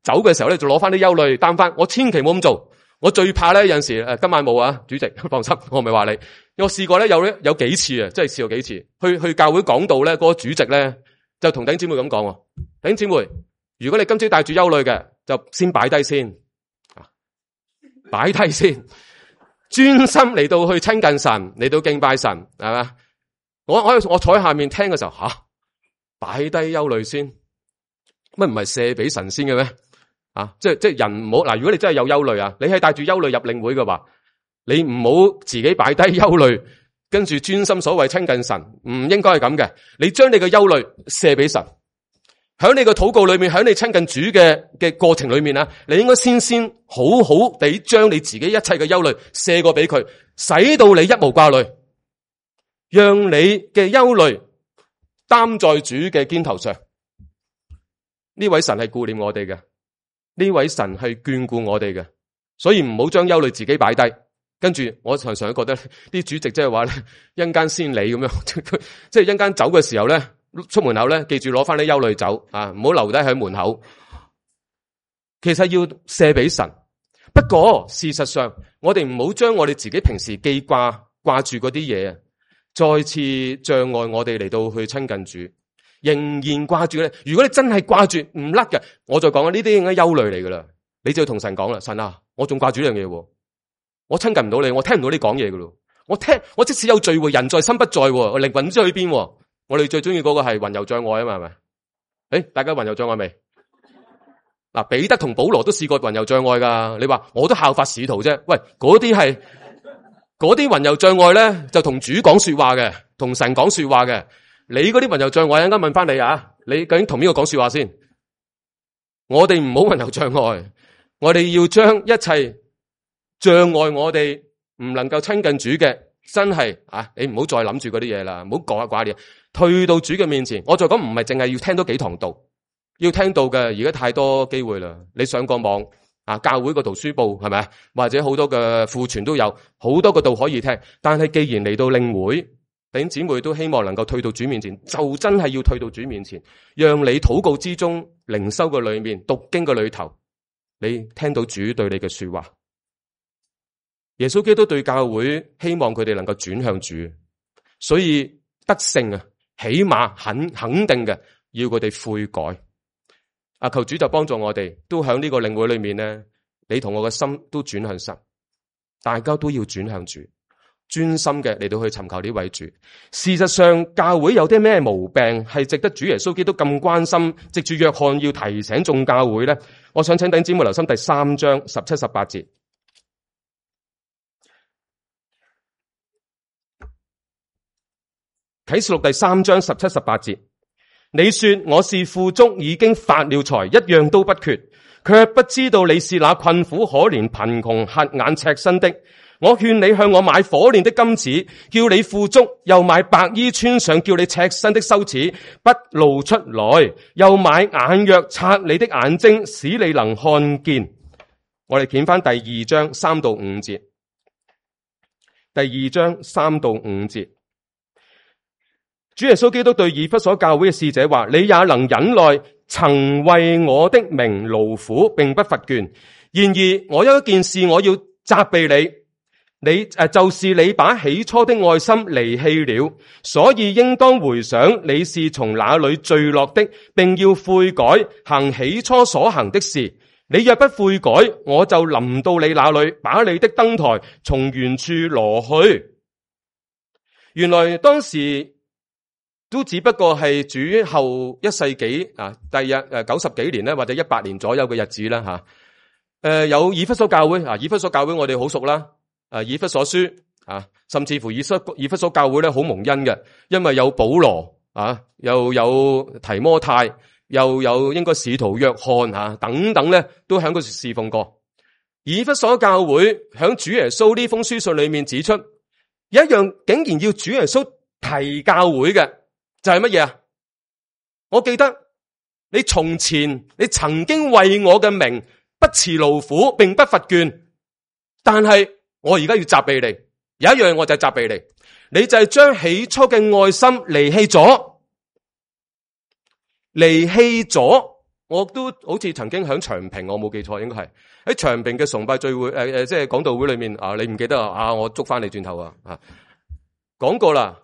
[SPEAKER 1] 走嘅時候咧就攞翻啲憂慮擔翻，我千祈唔好咁做。我最怕咧，有陣時今晚冇啊，主席放心，我咪話你。我試過咧，有幾次啊，真係試過幾次。去教會講道咧，嗰個主席咧就同弟兄姊妹咁講：弟兄姊妹，如果你今朝帶住憂慮嘅，就先擺低先，擺低先，專心嚟到去親近神，嚟到敬拜神，係嘛？我坐喺下面聽嘅時候，擺低憂慮先，乜唔係卸俾神先嘅咩？即係人唔好嗱，如果你真係有憂慮啊，你係帶住憂慮入領會嘅話，你唔好自己擺低憂慮，跟住專心所謂親近神，唔應該係咁嘅。你將你嘅憂慮卸俾神，喺你嘅禱告裏面，喺你親近主嘅過程裏面啊，你應該先好好地將你自己一切嘅憂慮卸過俾佢，使到你一無掛慮，讓你嘅憂慮擔在主嘅肩頭上。呢位神係顧念我哋嘅。呢位神係眷顧我哋嘅，所以唔好將憂慮自己擺低。跟住我常常覺得啲主席即係話咧，一陣間先理咁樣，即係一陣間走嘅時候咧，出門口咧，記住攞翻啲憂慮走唔好留低喺門口。其實要卸俾神，不過事實上，我哋唔好將我哋自己平時掛住嗰啲嘢，再次障礙我哋嚟到去親近主。仍然掛住咧，如果你真係掛住唔甩嘅，我再講呢啲應該憂慮嚟噶啦，你就要同神講啦，神啊，我仲掛住呢樣嘢，我親近唔到你，我聽唔到你講嘢噶咯，我即使有聚會，人在心不在，我靈魂唔知去邊。我哋最中意嗰個係魂遊障礙啊嘛，係咪？大家魂遊障礙未？嗱，彼得同保羅都試過魂遊障礙噶，你話我都效法使徒啫，喂，嗰啲魂遊障礙咧，就同主講說話嘅，同神講說話嘅。你嗰啲魂遊障礙，一陣間問翻你啊，你究竟同邊個講說話先？我哋唔好魂遊障礙，我哋要將一切障礙我哋唔能夠親近主嘅，真係你唔好再諗住嗰啲嘢啦，唔好講掛啲嘢，退到主嘅面前。我再講唔係淨係要聽多幾堂道，要聽到嘅而家太多機會啦。你上個網教會個圖書部係咪？或者好多嘅庫存都有好多個道可以聽，但係既然嚟到領會。弟兄姊妹都希望能夠退到主面前，就真係要退到主面前，讓你禱告之中、靈修嘅裏面、讀經嘅裏頭，你聽到主對你嘅說話。耶穌基督對教會希望佢哋能夠轉向主，所以得勝起碼肯定嘅要佢哋悔改。求主就幫助我哋，都喺呢個領會裏面咧，你同我嘅心都轉向神，大家都要轉向主。專心嘅嚟到去尋求呢位主。事實上，教會有啲咩毛病係值得主耶穌基督咁關心，藉住約翰要提醒眾教會呢？我想請弟兄姊妹留心第3章17、18節。啟示錄第3章17、18節，你說我是富足，已經發了財，一樣都不缺，卻不知道你是那困苦可憐、貧窮、瞎眼、赤身的。我勸你向我買火煉的金子，叫你富足；又買白衣穿上，叫你赤身的羞恥不露出來；又買眼藥擦你的眼睛，使你能看見。我哋見翻第2章3到5節。第2章3到5節，主耶穌基督對以弗所教會嘅使者話：你也能忍耐，曾為我的名勞苦，並不乏倦。然而我有一件事我要責備你，就是你把起初的愛心離棄了，所以應當回想你是從哪裏墜落的，並要悔改，行起初所行的事。你若不悔改，我就臨到你那裏，把你的燈台從原處挪去。原來當時都只不過係主後1世紀第日90幾年咧，或者100年左右嘅日子啦吓。有以弗所教會以弗所教會我哋好熟啦。以弗所書甚至乎以弗所教會咧好蒙恩嘅，因為有保羅又有提摩太，又有應該使徒約翰等等咧，都喺嗰時侍奉過。以弗所教會響主耶穌呢封書信裏面指出，有一樣竟然要主耶穌提教會嘅，就係乜嘢啊？我記得你從前你曾經為我嘅名不辭勞苦，並不乏倦，但係我而家要責備你，有一樣我就係責備你，你就係將起初嘅愛心離棄咗。我都好似曾經響長平，我冇記錯，應該係喺長平嘅崇拜聚會即係講道會裏面你唔記得我捉翻你轉頭講過啦。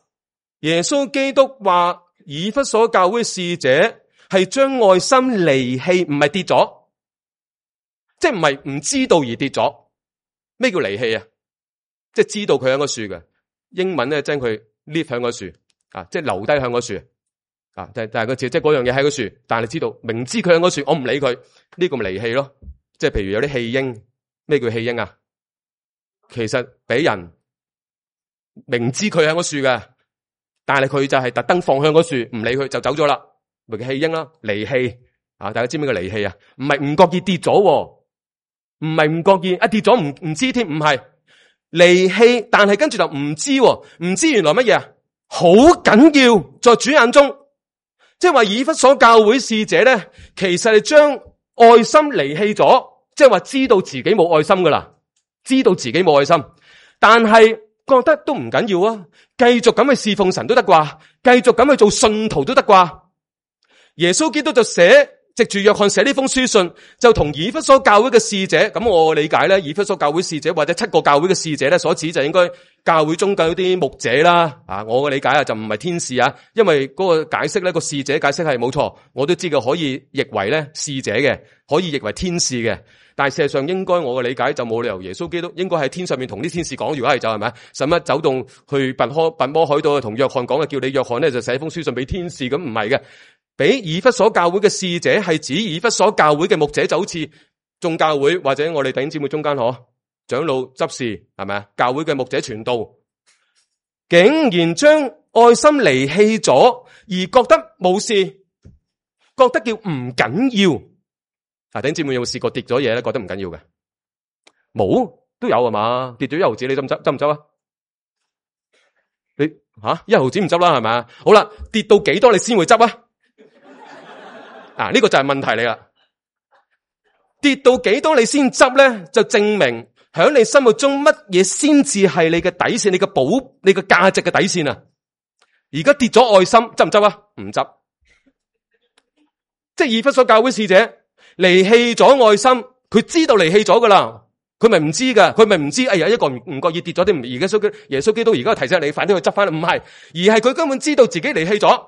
[SPEAKER 1] 耶穌基督話以弗所教會使者係將愛心離棄，唔係跌咗，即係唔係唔知道而跌咗。咩叫離棄啊？即係知道佢喺個樹嘅，英文咧將佢 leave 喺個樹即係留低喺個樹但係個字即係嗰樣嘢喺個樹，但係你知道明知佢喺個樹，我唔理佢，呢個咪離棄咯。即係譬如有啲棄嬰，咩叫棄嬰啊？其實俾人明知佢喺個樹嘅，但係佢就係特登放向個樹，唔理佢就走咗啦，咪叫棄嬰啦，離棄大家知唔知個離棄啊？唔係唔覺意跌咗，唔係唔覺意跌咗唔知添，唔係離棄，但係跟住就唔知，唔知原來乜嘢啊？好緊要，在主眼中，即係話以弗所教會使者咧，其實係將愛心離棄咗，即係話知道自己冇愛心噶啦，知道自己冇愛心，但係覺得都唔緊要啊，繼續咁去侍奉神都得啩，繼續咁去做信徒都得啩。耶穌基督就藉住約翰寫呢封書信，就同以弗所教會嘅使者，咁我理解咧，以弗所教會使者或者7個教會嘅使者咧，所指就應該教會中嘅啲牧者啦。我嘅理解就唔係天使因為嗰個解釋咧，個使者解釋係冇錯，我都知嘅可以譯為咧使者嘅，可以譯為天使嘅。但係事實上應該我嘅理解就冇理由耶穌基督應該喺天上面同啲天使講，如果係就係咪使乜走動去拔摩海島同約翰講嘅，叫你約翰咧就寫封書信俾天使，咁唔係嘅。俾以弗所教會嘅使者係指以弗所教會嘅牧者，就好似眾教會或者我哋弟兄姊妹中間長老執事係咪教會嘅牧者傳道，竟然將愛心離棄咗，而覺得冇事，覺得叫唔緊要。弟兄姊妹有冇試過跌咗嘢咧？覺得唔緊要嘅？冇都有係嘛？跌咗1毫子你執唔執啊？你1毫子唔執啦係咪？好啦，跌到幾多你先會執啊？呢個就係問題嚟啦。跌到幾多你先執咧，就證明喺你心目中乜嘢先至係你嘅底線，你嘅價值嘅底線啊。而家跌咗愛心，執唔執啊？唔執。即係以弗所教會使者離棄咗愛心，佢知道離棄咗噶啦，佢咪唔知噶，佢咪唔知。哎呀，一個唔覺意跌咗啲，而家耶穌基督而家提醒你，快啲去執翻啦。唔係，而係佢根本知道自己離棄咗。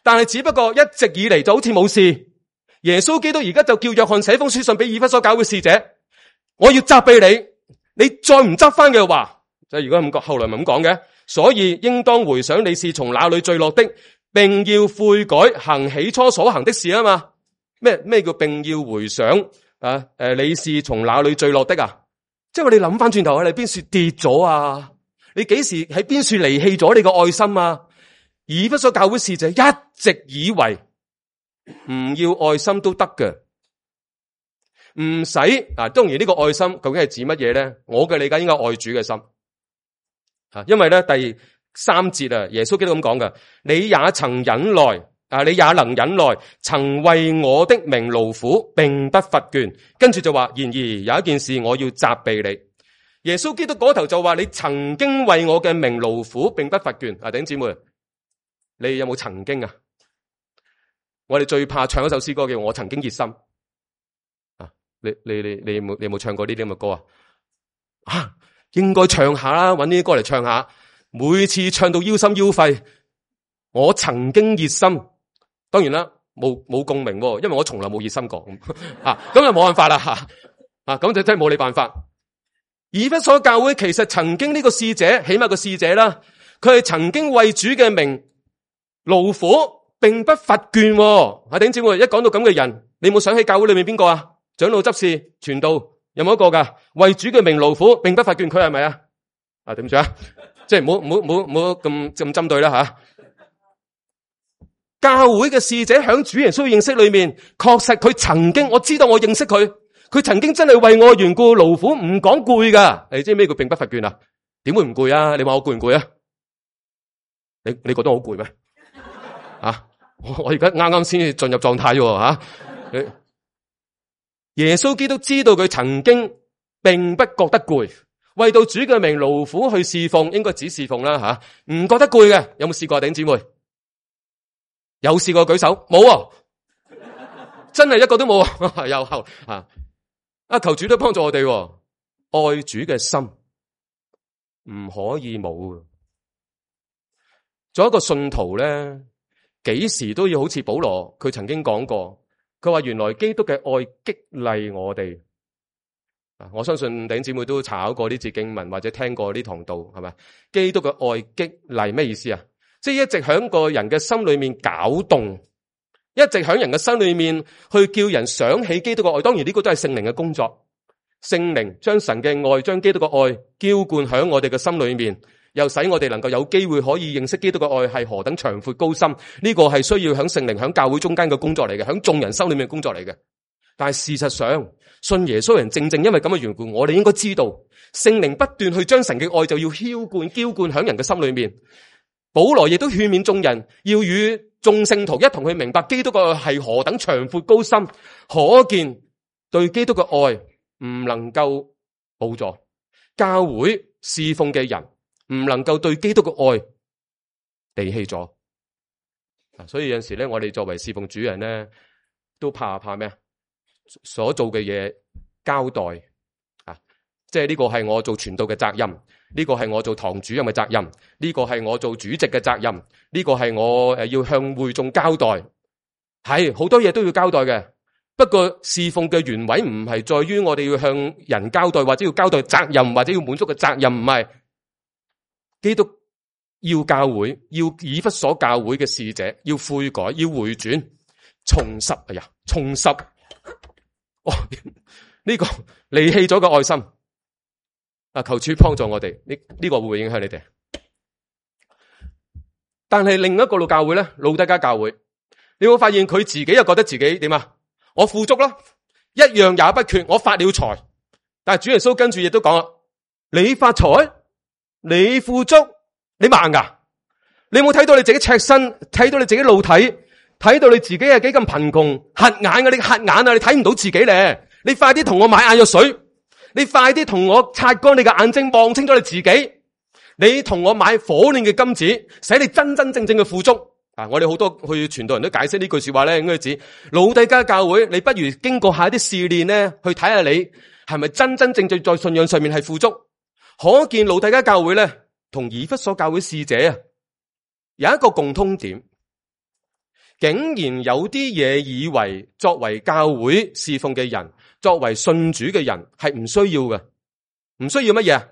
[SPEAKER 1] 但係只不過一直以嚟就好似冇事。耶穌基督而家就叫約翰寫封書信俾以弗所教會使者，我要責備你，你再唔執翻嘅話，即係如果咁講，後來咪咁講嘅。所以應當回想你是從哪裏墜落的，並要悔改，行起初所行的事啊嘛。咩叫並要回想啊？你是從哪裏墜落的啊？即係我哋諗翻轉頭，你邊處跌咗啊？你幾時喺邊處離棄咗你個愛心啊？以弗所教會使者一直以為唔要愛心都得嘅，唔使啊。當然呢個愛心究竟係指乜嘢咧？我嘅理解應該愛主嘅心啊，因為咧第3節啊，耶穌基督咁講嘅，你也曾忍耐啊，你也能忍耐，曾為我的名勞苦，並不乏倦。跟住就話，然而有一件事我要責備你。耶穌基督嗰頭就話，你曾經為我嘅名勞苦，並不乏倦。啊，弟兄姊妹，你有冇曾經啊？我哋最怕唱一首詩歌叫我曾經熱心啊！你有冇唱過呢啲咁嘅歌啊？啊，應該唱下啦，搵呢啲歌嚟唱下。每次唱到腰心腰肺，我曾經熱心。當然啦，冇共鳴，因為我從來冇熱心過啊，咁就冇辦法啦啊，咁就真係冇你辦法。以弗所教會其實曾經呢個使者，起碼個使者啦，佢係曾經為主嘅名勞苦，並不乏倦。啊，弟兄姊妹，一講到咁嘅人，你冇想起教會裏面邊個啊？長老執事傳道有冇一個噶？為主嘅名勞苦，並不乏倦，佢係咪啊？啊，對唔住啊，即係唔好咁針對啦吓。教會嘅使者響主耶穌認識裏面，確實佢曾經，我知道我認識佢，佢曾經真係為我緣故勞苦，唔講攰噶。你知咩叫並不乏倦啊？點會唔攰啊？你話我攰唔攰啊？你覺得我好攰咩？啊！我而家啱啱先進入狀態喎吓。耶穌基督知道佢曾經並不覺得攰，為到主嘅名勞苦去侍奉，應該只侍奉啦吓，唔覺得攰嘅。有冇試過啊，弟兄姊妹？有試過舉手？冇啊，真係一個都冇啊！又後啊，求主都幫助我哋，愛主嘅心唔可以冇。做一個信徒咧，幾時都要好似保羅佢曾經講過，佢話原來基督嘅愛激勵我哋。我相信弟兄姊妹都查考過呢節經文，或者聽過呢堂道，係咪？基督嘅愛激勵咩意思啊？即係一直響個人嘅心裏面攪動，一直響人嘅心裏面去叫人想起基督嘅愛。當然呢個都係聖靈嘅工作，聖靈將神嘅愛，將基督嘅愛澆灌響我哋嘅心裏面，又使我哋能夠有機會可以認識基督嘅愛係何等長闊高深。呢個係需要響聖靈響教會中間嘅工作嚟嘅，響眾人心裏面嘅工作嚟嘅。但係事實上，信耶穌人正因為咁嘅緣故，我哋應該知道聖靈不斷去將神嘅愛就要澆灌響人嘅心裏面。保羅亦都勸勉眾人要與眾聖徒一同去明白基督嘅愛係何等長闊高深，可見對基督嘅愛唔能夠補助教會侍奉嘅人，唔能夠對基督嘅愛離棄咗。所以有陣時咧，我哋作為侍奉主人咧，都怕咩？所做嘅嘢交代啊，即係呢個係我做傳道嘅責任，呢個係我做堂主任嘅責任，呢個係我做主席嘅責任，呢個係我要向會眾交代，係好多嘢都要交代嘅。不過侍奉嘅原委唔係在於我哋要向人交代，或者要交代責任，或者要滿足嘅責任，唔係。基督要教會，要以弗所教會嘅使者要悔改，要回轉，重拾。哎呀，重拾呢個離棄咗嘅愛心。求主幫助我哋，呢個會唔會影響你哋？但係另一個老教會咧，老底嘉教會，你會發現佢自己又覺得自己點啊？我富足啦，一樣也不缺，我發了財。但係主耶穌跟住亦都講啦，你發財，你富足，你盲噶？你有冇睇到你自己赤身？睇到你自己露體？睇到你自己係幾咁貧窮？瞎眼嘅，你瞎眼啊！你睇唔到自己咧？你快啲同我買眼藥水！你快啲同我擦乾你嘅眼睛，望清楚你自己。你同我買火煉嘅金子，使你真真正正嘅富足。我哋好多去傳道人都解釋呢句說話咧，應該指老底嘉教會，你不如經過下啲試煉咧，去睇下你係咪真真正正在信仰上面係富足。可見老底嘉教會咧，同以弗所教會使者啊，有一個共通點，竟然有啲嘢以為作為教會侍奉嘅人，作為信主嘅人係唔需要嘅，唔需要乜嘢？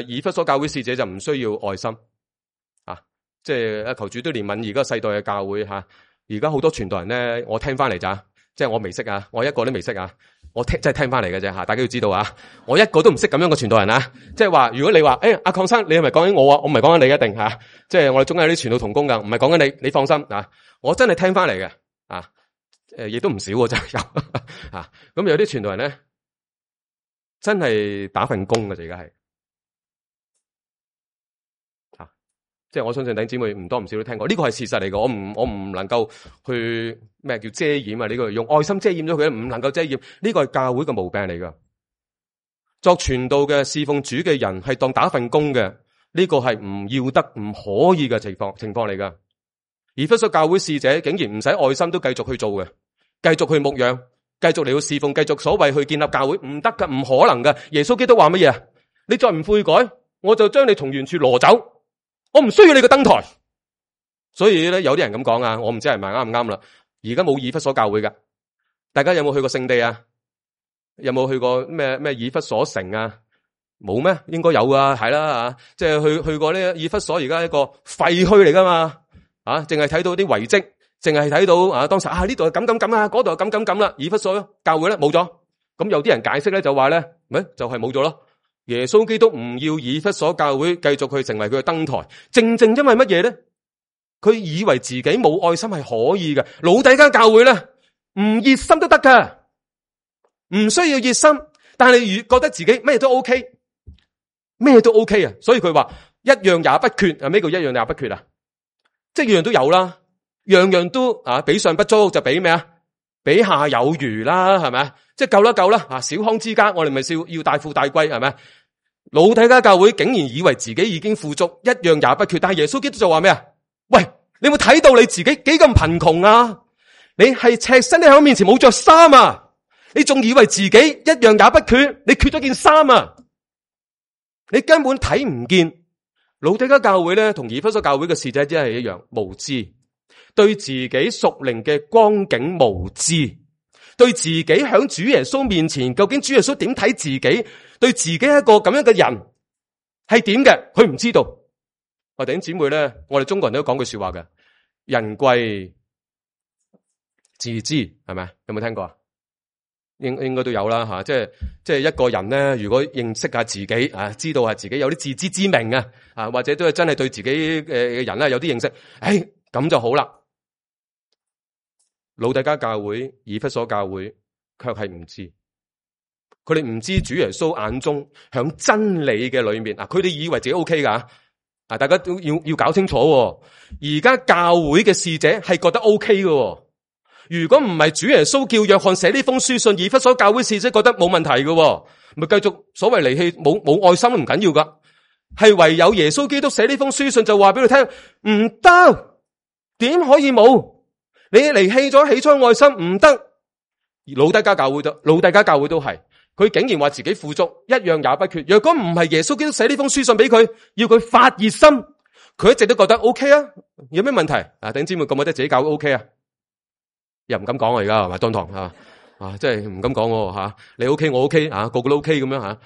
[SPEAKER 1] 以弗所教會使者就唔需要愛心啊，即係求主都憐憫而家世代嘅教會吓。而家好多傳道人咧，我聽翻嚟咋，即係我未識啊，我一個都未識啊，我真係聽翻嚟嘅啫吓，大家要知道啊，我一個都唔識咁樣嘅傳道人啊，即係話如果你話阿鄺生，你係咪講緊我啊？我唔係講緊你一定吓，即係我哋中間有啲傳道同工噶，唔係講緊你，你放心啊，我真係聽翻嚟嘅啊，亦都唔少真係有啊，咁有啲傳道人咧，真係打份工嘅，而家係。即係我相信弟兄姊妹唔多唔少都聽過，呢個係事實嚟嘅，我唔能夠去咩叫遮掩啊？呢個用愛心遮掩咗佢，唔能夠遮掩，呢個係教會嘅毛病嚟噶。作傳道嘅侍奉主嘅人係當打份工嘅，呢個係唔要得、唔可以嘅情況嚟噶。以弗所教會使者竟然唔使愛心都繼續去做嘅，繼續去牧養，繼續嚟到侍奉，繼續所謂去建立教會，唔得噶，唔可能噶。耶穌基督話乜嘢？你再唔悔改，我就將你從原處攞走。我唔需要你個燈台，所以咧有啲人咁講啊，我唔知係咪啱唔啱啦。而家冇以弗所教會噶，大家有冇去過聖地啊？有冇去過咩以弗所城啊？冇咩？應該有啊，係啦吓，即係去過呢以弗所，而家一個廢墟嚟噶嘛，啊，淨係睇到啲遺跡，淨係睇到啊，當時啊呢度係咁啊，嗰度係咁啦，以弗所教會咧冇咗，咁有啲人解釋咧就話咧，就係冇咗咯。耶穌基督唔要以弗所教會繼續去成為佢嘅燈台，正因為乜嘢咧？佢以為自己冇愛心係可以嘅。老底嘉教會咧，唔熱心都得噶，唔需要熱心，但係覺得自己咩都 OK， 咩都 OK 啊。所以佢話一樣也不缺啊。咩叫一樣也不缺啊？即係樣樣都有啦，樣樣都啊，比上不足就比咩啊？比下有餘啦，係咪？即係夠啦啊！小康之家，我哋咪要大富大貴，係咪？老底嘉教會竟然以為自己已經富足，一樣也不缺，但係耶穌基督就話咩啊？喂，你有冇睇到你自己幾咁貧窮啊？你係赤身喺我面前冇着衫啊！你仲以為自己一樣也不缺？你缺咗件衫啊！你根本睇唔見。老底嘉教會咧，同以弗所教會嘅使者真係一樣無知，對自己屬靈嘅光景無知，對自己響主耶穌面前，究竟主耶穌點睇自己？對自己一個咁樣嘅人係點嘅？佢唔知道。我弟兄姊妹咧，我哋中國人都講句說話嘅，人貴自知，係咪？有冇聽過啊？應該都有啦吓，即係一個人咧，如果認識下自己啊，知道下自己有啲自知之明啊，或者都係真係對自己嘅人咧有啲認識，咁就好啦。老底嘉教會、以弗所教會卻係唔知。佢哋唔知主耶穌眼中響真理嘅裏面啊，佢哋以為自己 OK 噶啊，大家都要搞清楚。而家教會嘅使者係覺得 OK 嘅。如果唔係主耶穌叫約翰寫呢封書信，以弗所教會使者覺得冇問題嘅，咪繼續所謂離棄冇愛心都唔緊要噶。係唯有耶穌基督寫呢封書信就話俾佢聽，唔得，點可以冇？你離棄咗起初愛心唔得。老底嘉教會都係。佢竟然話自己富足，一樣也不缺。若果唔係耶穌基督寫呢封書信俾佢，要佢發熱心，佢一直都覺得 OK 啊。有咩問題啊？弟兄姊妹覺唔覺得自己搞 OK 啊？又唔敢講啊，而家係咪當堂啊？即係唔敢講吓。你 OK，我 OK 啊，個個都 OK 咁樣吓。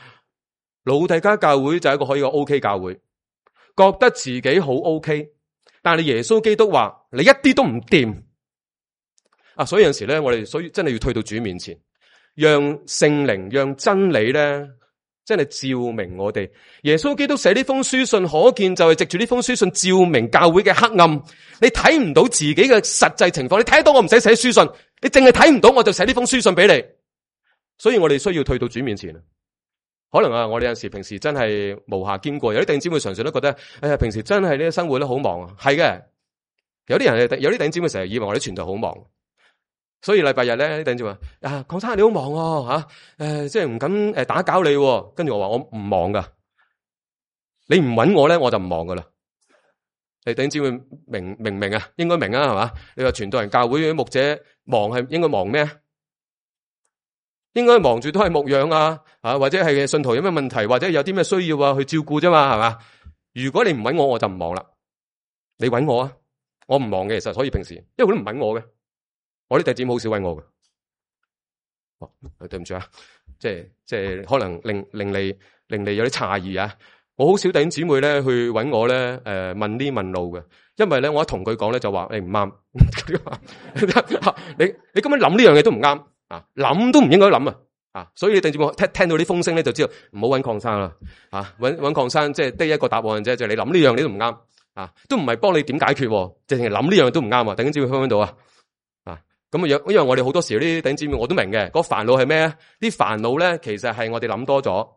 [SPEAKER 1] 老底嘉教會就係一個可以個 OK 教會，覺得自己好 OK， 但係耶穌基督話你一啲都唔掂啊。所以有陣時咧，我哋真係要退到主面前。讓聖靈、讓真理咧，真係照明我哋。耶穌基督寫呢封書信，可見就係藉住呢封書信照明教會嘅黑暗。你睇唔到自己嘅實際情況，你睇到我唔使寫書信，你淨係睇唔到我就寫呢封書信俾你。所以我哋需要退到主面前。可能啊，我哋有陣時平時真係無暇兼顧，有啲弟兄姊妹常常都覺得，平時真係呢啲生活都好忙啊。係嘅，有啲弟兄姊妹成日以為我哋傳道好忙。所以禮拜日咧，啲弟兄就話：鄺生你好忙吓，即係唔敢打攪你。跟住我話我唔忙噶，你唔搵我咧，我就唔忙噶啦。你弟兄姊妹明啊？應該明啊，係嘛？你話傳道人教會牧者忙係應該忙咩？應該忙住都係牧養啊，或者係信徒有咩問題，或者有啲咩需要啊，去照顧啫嘛，係嘛？如果你唔搵我，我就唔忙啦。你搵我啊，我唔忙嘅，其實所以平時因為佢都唔搵我嘅。我啲弟兄姊妹好少搵我嘅，對唔住啊，即係可能令你有啲詫異啊。我好少弟兄姊妹咧去揾我咧，問呢問路嘅，因為咧我一同佢講咧就話你唔啱，你咁樣諗呢樣嘢都唔啱啊，諗都唔應該諗啊，所以弟兄姊妹聽到啲風聲咧就知道唔好揾鄺生啦，揾鄺生即係得一個答案啫，就係你諗呢樣你都唔啱啊，都唔係幫你點解決，淨係諗呢樣都唔啱啊，弟兄姊妹聽唔聽到啊？咁因為我哋好多時啲弟兄姊妹我都明嘅，個煩惱係咩啊？啲煩惱咧其實係我哋諗多咗。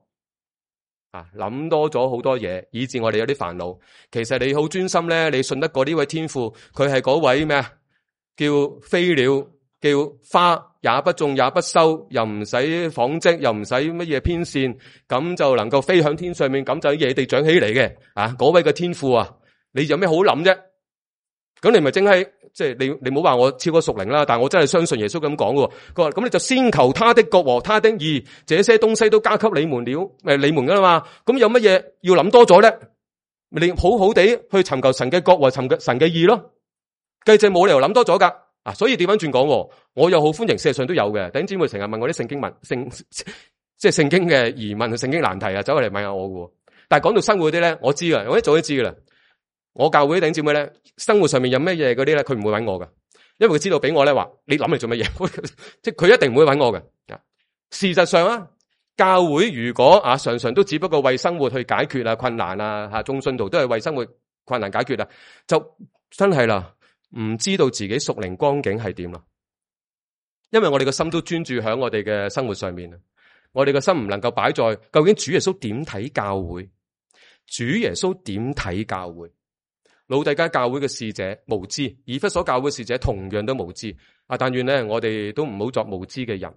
[SPEAKER 1] 諗多咗好多嘢，以致我哋有啲煩惱。其實你好專心咧，你信得過呢位天父，佢係嗰位咩啊？叫飛鳥，叫花也不種也不收，又唔使紡織，又唔使乜嘢編線，咁就能夠飛向天上面，咁就喺野地長起嚟嘅。嗰位嘅天父啊，你有咩好諗啫？咁你咪淨係即係你唔好話我超過屬靈啦，但係我真係相信耶穌咁講嘅。佢話咁你就先求他的國和他的義，這些東西都加給你們了，你們噶啦嘛。咁有乜嘢要諗多咗咧？你好好地去尋求神嘅國和尋求神嘅義咯。計就冇理由諗多咗噶。所以調翻轉講，我又好歡迎，事實上都有嘅。弟兄姊妹成日問我啲聖經即係聖經嘅疑問、聖經難題啊，走嚟問下我嘅。但係講到生活嗰啲咧，我知噶，我一早都知噶啦。我教會啲弟兄姊妹咧，生活上面有咩嘢嗰啲咧，佢唔會揾我嘅，因為佢知道俾我咧話，你諗嚟做乜嘢？即係佢一定唔會揾我嘅。事實上啊，教會如果常常都只不過為生活去解決困難啊，眾信徒都係為生活困難解決啊，就真係啦，唔知道自己屬靈光景係點啦。因為我哋個心都專注喺我哋嘅生活上面啊，我哋個心唔能夠擺在究竟主耶穌點睇教會，主耶穌點睇教會。老底嘉教會嘅使者無知，以弗所教會嘅使者同樣都無知。但願咧，我哋都唔好作無知嘅人。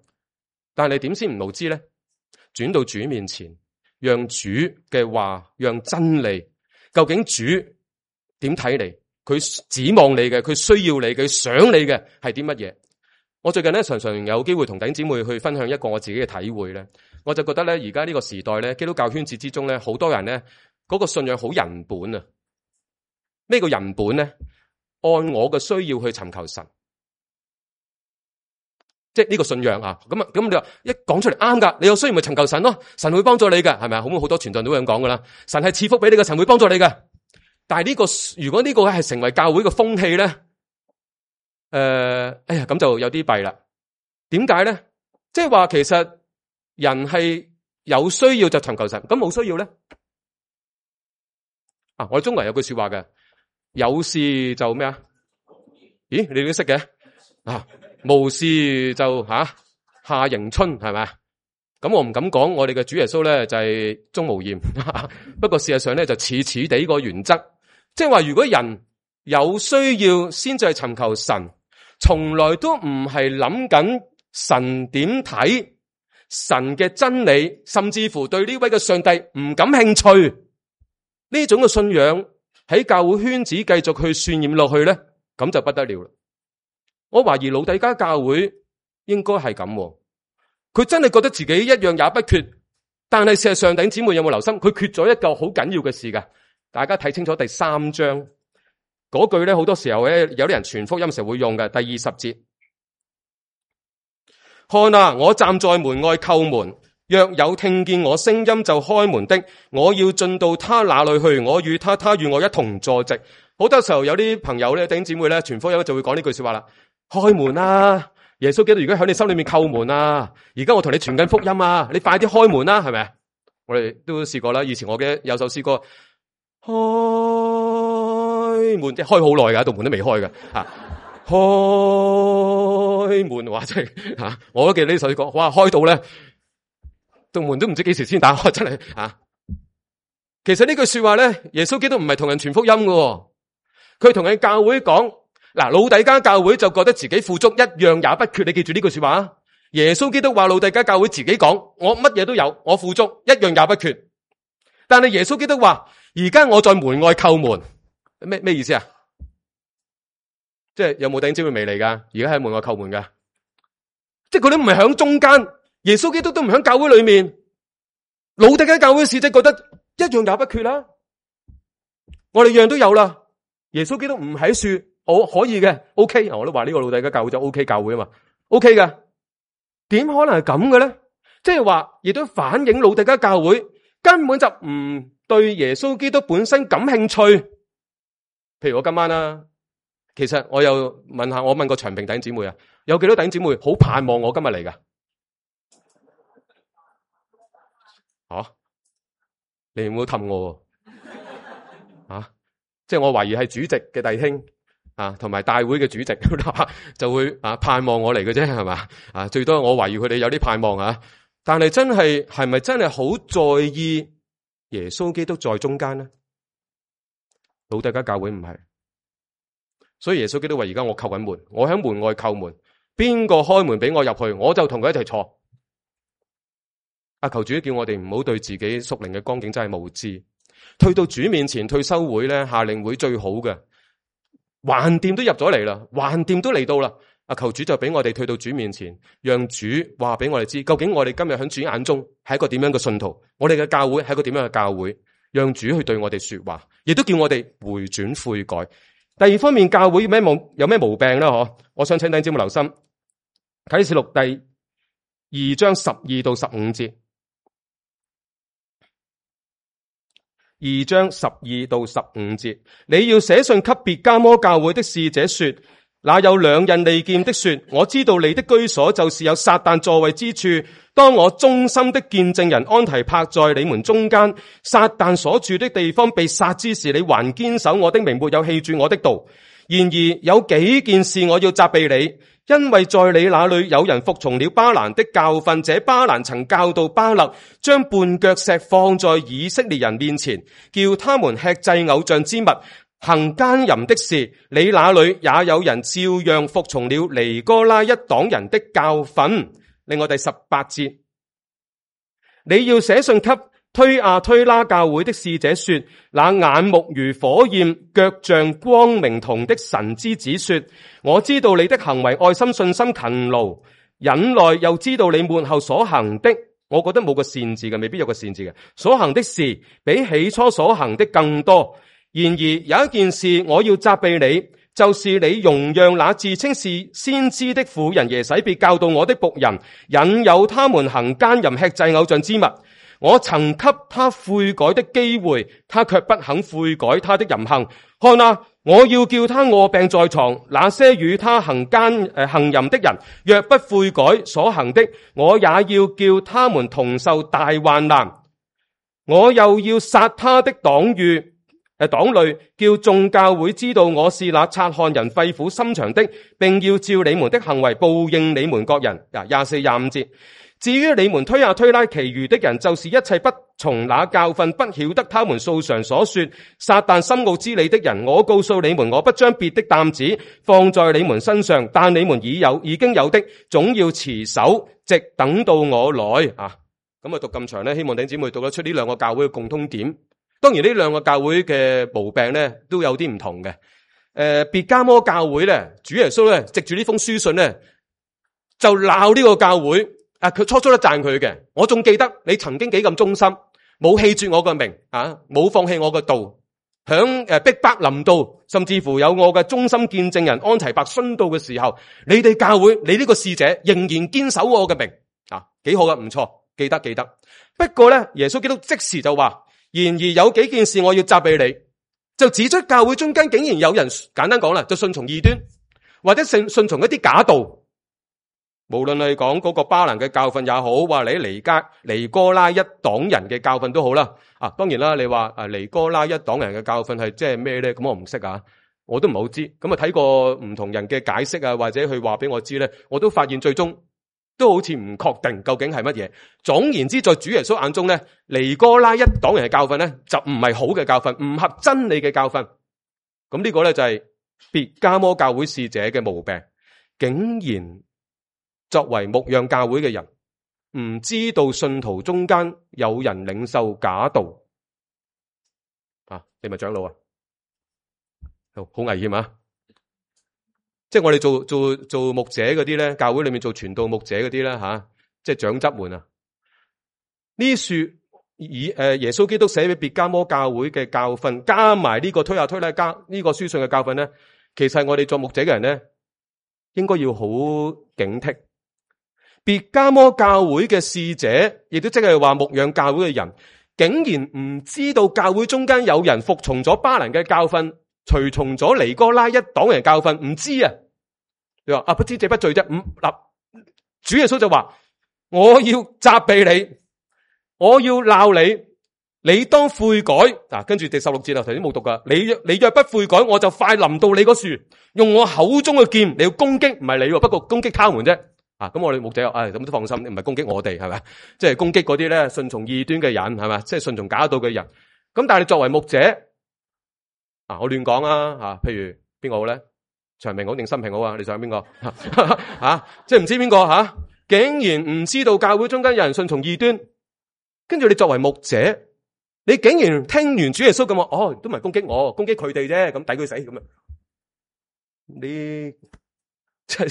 [SPEAKER 1] 但係你點先唔無知咧？轉到主面前，讓主嘅話，讓真理，究竟主點睇你？佢指望你嘅，佢需要你嘅，佢想你嘅係啲乜嘢？我最近咧常常有機會同弟兄姊妹去分享一個我自己嘅體會咧，我就覺得咧，而家呢個時代咧，基督教圈子之中咧，好多人咧嗰個信仰好人本啊。咩個人本咧？按我嘅需要去尋求神，即係呢個信仰啊！咁你話一講出嚟啱噶，你有需要咪尋求神咯？神會幫助你噶，係咪啊？好多傳道都會咁講噶啦。神係賜福俾你嘅，神會幫助你嘅。但係呢個如果呢個係成為教會嘅風氣咧，咁就有啲弊啦。點解咧？即係話其實人係有需要就尋求神，咁冇需要咧？我哋中國人有句說話嘅。有事就咩啊？咦，你都識嘅無事就夏迎春係咪？咁我唔敢講，我哋嘅主耶穌咧就係鍾無艷，不過事實上咧就似地個原則，即係話如果人有需要先至係尋求神，從來都唔係諗緊神點睇神嘅真理，甚至乎對呢位嘅上帝唔感興趣，呢種嘅信仰。喺教會圈子繼續去渲染落去咧，咁就不得了啦。我懷疑老底嘉教會應該係咁，佢真係覺得自己一樣也不缺，但係事實上弟兄姊妹有冇留心？佢缺咗一個好緊要嘅事噶。大家睇清楚第3章嗰句咧，好多時候咧有啲人傳福音時候會用嘅。第20節，看啊，我站在門外叩門。若有聽見我聲音就開門的，我要進到他那裏去，我與他，他與我一同坐席。好多時候有啲朋友咧、弟兄姊妹咧傳福音就會講呢句說話啦：開門啊！耶穌基督而家喺你心裏面叩門啊！而家我同你傳緊福音啊！你快啲開門啦，係咪？我哋都試過啦。以前我嘅有首詩歌，開門即係開好耐噶，道門都未開噶開門話真係我都記得呢首詩歌，哇，開到咧。道門都唔知幾時先打開，真係其實呢句說話咧，耶穌基督唔係同人傳福音嘅，佢同人教會講。老底嘉教會就覺得自己富足，一樣也不缺。你記住呢句說話。耶穌基督話老底嘉教會自己講，我乜嘢都有，我富足，一樣也不缺。但係耶穌基督話，而家我在門外叩門，咩意思啊？即係有冇弟兄姊妹未嚟噶？而家喺門外叩門噶，即係佢都唔係響中間。耶穌基督都唔喺教會裏面，老底嘉教會使者覺得一樣也不缺啦。我哋樣都有啦。耶穌基督唔喺樹，我可以嘅 ，OK。我都話呢個老底嘉教會就 OK 教會啊嘛 ，OK 噶。點可能係咁嘅咧？即係話，亦都反映老底嘉教會根本就唔對耶穌基督本身感興趣。譬如我今晚啦，其實我又問過長平弟兄姊妹啊，有幾多弟兄姊妹好盼望我今日嚟噶？你唔好氹我即係我懷疑係主席嘅弟兄同埋大會嘅主席就會盼望我嚟嘅啫，係嘛？最多我懷疑佢哋有啲盼望但係係咪真係好在意耶穌基督在中間呢？老底嘉教會唔係，所以耶穌基督話：而家我叩緊門，我喺門外叩門，邊個開門俾我入去，我就同佢一齊坐。求主叫我哋唔好對自己屬靈嘅光景真係無知，退到主面前，退修會咧，夏令會最好嘅，橫掂都入咗嚟啦，橫掂都嚟到啦。求主就俾我哋退到主面前，讓主話俾我哋知，究竟我哋今日喺主眼中係一個點樣嘅信徒，我哋嘅教會係一個點樣嘅教會，讓主去對我哋說話，亦都叫我哋回轉悔改。第二方面，教會有咩毛病呢？我想請弟兄姊妹留心啟示錄第2章12到15節。2章12到15節，你要寫信給別迦摩教會的使者說，那有兩刃利劍的說，我知道你的居所就是有撒旦座位之處。當我忠心的見證人安提帕在你們中間，撒旦所住的地方被殺之時，你還堅守我的名，沒有棄絕我的道。然而有幾件事我要責備你，因為在你那裏有人服從了巴蘭的教訓，這巴蘭曾教導巴勒將絆腳石放在以色列人面前，叫他們吃祭偶像之物，行奸淫的事。你那裏也有人照樣服從了尼哥拉一黨人的教訓。另外第18節，你要寫信給推亞推拉教會的使者說，那眼目如火焰，腳像光明銅的神之子說，我知道你的行為愛心、信心、勤勞、忍耐，又知道你末後所行的，我覺得冇個善字嘅，未必有個善字嘅，所行的事比起初所行的更多。然而有一件事我要責備你，就是你容讓那自稱是先知的婦人耶洗別教導我的僕人，引誘他們行奸淫、吃祭偶像之物。我曾給他悔改的機會，他卻不肯悔改他的淫行。看啊，我要叫他臥病在床，那些與他行淫的人，若不悔改所行的，我也要叫他們同受大患難。我又要殺他的黨類，叫眾教會知道我是那察看人肺腑心腸的，並要照你們的行為報應你們各人。24、25節。至於你們推亞推拉其餘的人，就是一切不從那教訓，不曉得他們素常所說撒旦深奧之理的人，我告訴你們，我不將別的擔子放在你們身上，但你們已經有的，總要持守，直等到我來。咁讀咁長咧，希望弟兄姊妹讀得出呢兩個教會嘅共通點。當然呢兩個教會嘅毛病咧都有啲唔同嘅。別迦摩教會咧，主耶穌咧藉住呢封書信咧就鬧呢個教會。佢初初都讚佢嘅，我仲記得你曾經幾咁忠心，冇棄絕我嘅名，冇放棄我嘅道，響逼迫臨到，甚至乎有我嘅忠心見證人安提帕殉道嘅時候，你哋教會，你呢個使者仍然堅守我嘅名，幾好嘅，唔錯，記得。不過咧，耶穌基督即時就話，然而有幾件事我要責備你，就指出教會中間竟然有人，簡單講啦，就順從異端，或者順從一啲假道。無論係講嗰個巴蘭嘅教訓也好，話你尼哥拉一黨人嘅教訓都好啦。當然啦，你話尼哥拉一黨人嘅教訓係即係咩咧？咁我唔識我都唔係好知。咁睇過唔同人嘅解釋或者佢話俾我知咧，我都發現最終都好似唔確定究竟係乜嘢。總言之，在主耶穌眼中咧，尼哥拉一黨人嘅教訓咧就唔係好嘅教訓，唔合真理嘅教訓。咁呢個咧就係別迦摩教會使者嘅毛病，竟然作為牧養教會嘅人，唔知道信徒中間有人領受假道，你咪長老好危險即係我哋做牧者嗰啲咧，教會裏面做傳道牧者嗰啲咧即係長執們呢書耶穌基督寫俾別迦摩教會嘅教訓，加埋呢個推亞推拉加呢個書信嘅教訓咧，其實我哋做牧者嘅人咧，應該要好警惕。別迦摩教會嘅使者，亦都即係話牧養教會嘅人，竟然唔知道教會中間有人服從咗巴蘭嘅教訓，隨從咗尼哥拉一黨人教訓，唔知啊？你話不知者不罪啫。嗱，主耶穌就話：我要責備你，我要鬧你，你當悔改。嗱，跟住第16節頭先冇讀噶，你若不悔改，我就快臨到你個樹，用我口中嘅劍，你要攻擊，唔係你，不過攻擊他們啫。咁我哋牧者咁都放心，唔係攻擊我哋，係咪？即係攻擊嗰啲咧順從異端嘅人，係咪？即係順從假道嘅人。咁但係你作為牧者，我亂講啊，譬如邊個好咧？長平好定新平好啊？你想邊個？即係唔知邊個竟然唔知道教會中間有人順從異端，跟住你作為牧者，你竟然聽完主耶穌咁話，都唔係攻擊我，攻擊佢哋啫，咁抵佢死咁樣。你即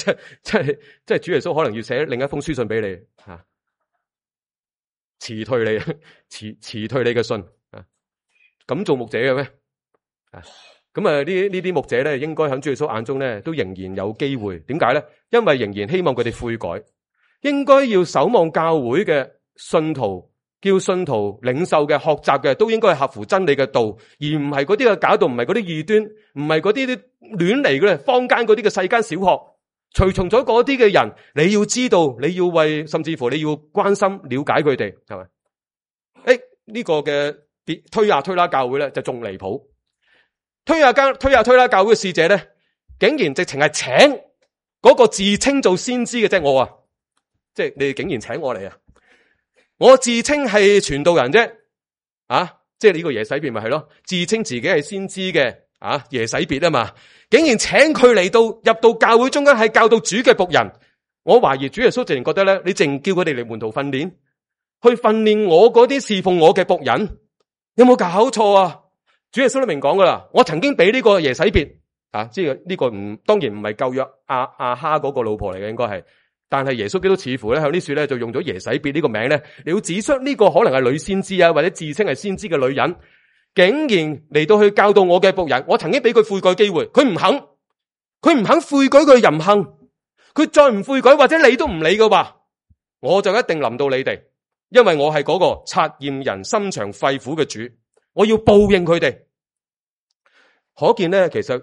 [SPEAKER 1] 係主耶穌可能要寫另一封書信俾你辭退你嘅信咁做牧者嘅咩？咁呢啲牧者咧，應該喺主耶穌眼中咧，都仍然有機會。點解咧？因為仍然希望佢哋悔改，應該要守望教會嘅信徒，叫信徒領袖嘅學習嘅，都應該係合乎真理嘅道，而唔係嗰啲嘅假道，唔係嗰啲異端，唔係嗰啲亂嚟嘅坊間嗰啲嘅世間小學。隨從咗嗰啲嘅人，你要知道，你要為，甚至乎你要關心、了解佢哋，係咪？呢個嘅推雅推拉教會咧就仲離譜。推雅推拉教會嘅使者咧，竟然直情係請嗰個自稱做先知嘅，即係我即係你哋竟然請我嚟啊！我自稱係傳道人啫，即係呢個耶洗別咪係咯，自稱自己係先知嘅耶洗別啊嘛，竟然請佢嚟到入到教會中間係教導主嘅僕人。我懷疑主耶穌直情覺得咧，你淨叫佢哋嚟門徒訓練，去訓練我嗰啲侍奉我嘅僕人，有冇搞錯啊？主耶穌都明講噶啦，我曾經俾呢個耶洗別即係呢個當然唔係舊約亞哈嗰個老婆嚟嘅，應該係，但係耶穌基督似乎咧喺呢處咧就用咗耶洗別呢個名咧，你要指出呢個可能係女先知或者自稱係先知嘅女人，竟然嚟到去教導我嘅僕人。我曾經俾佢悔改機會，佢唔肯悔改佢淫行，佢再唔悔改或者你都唔理嘅話，我就一定臨到你哋，因為我係嗰個察驗人心腸肺腑嘅主，我要報應佢哋。可見咧，其實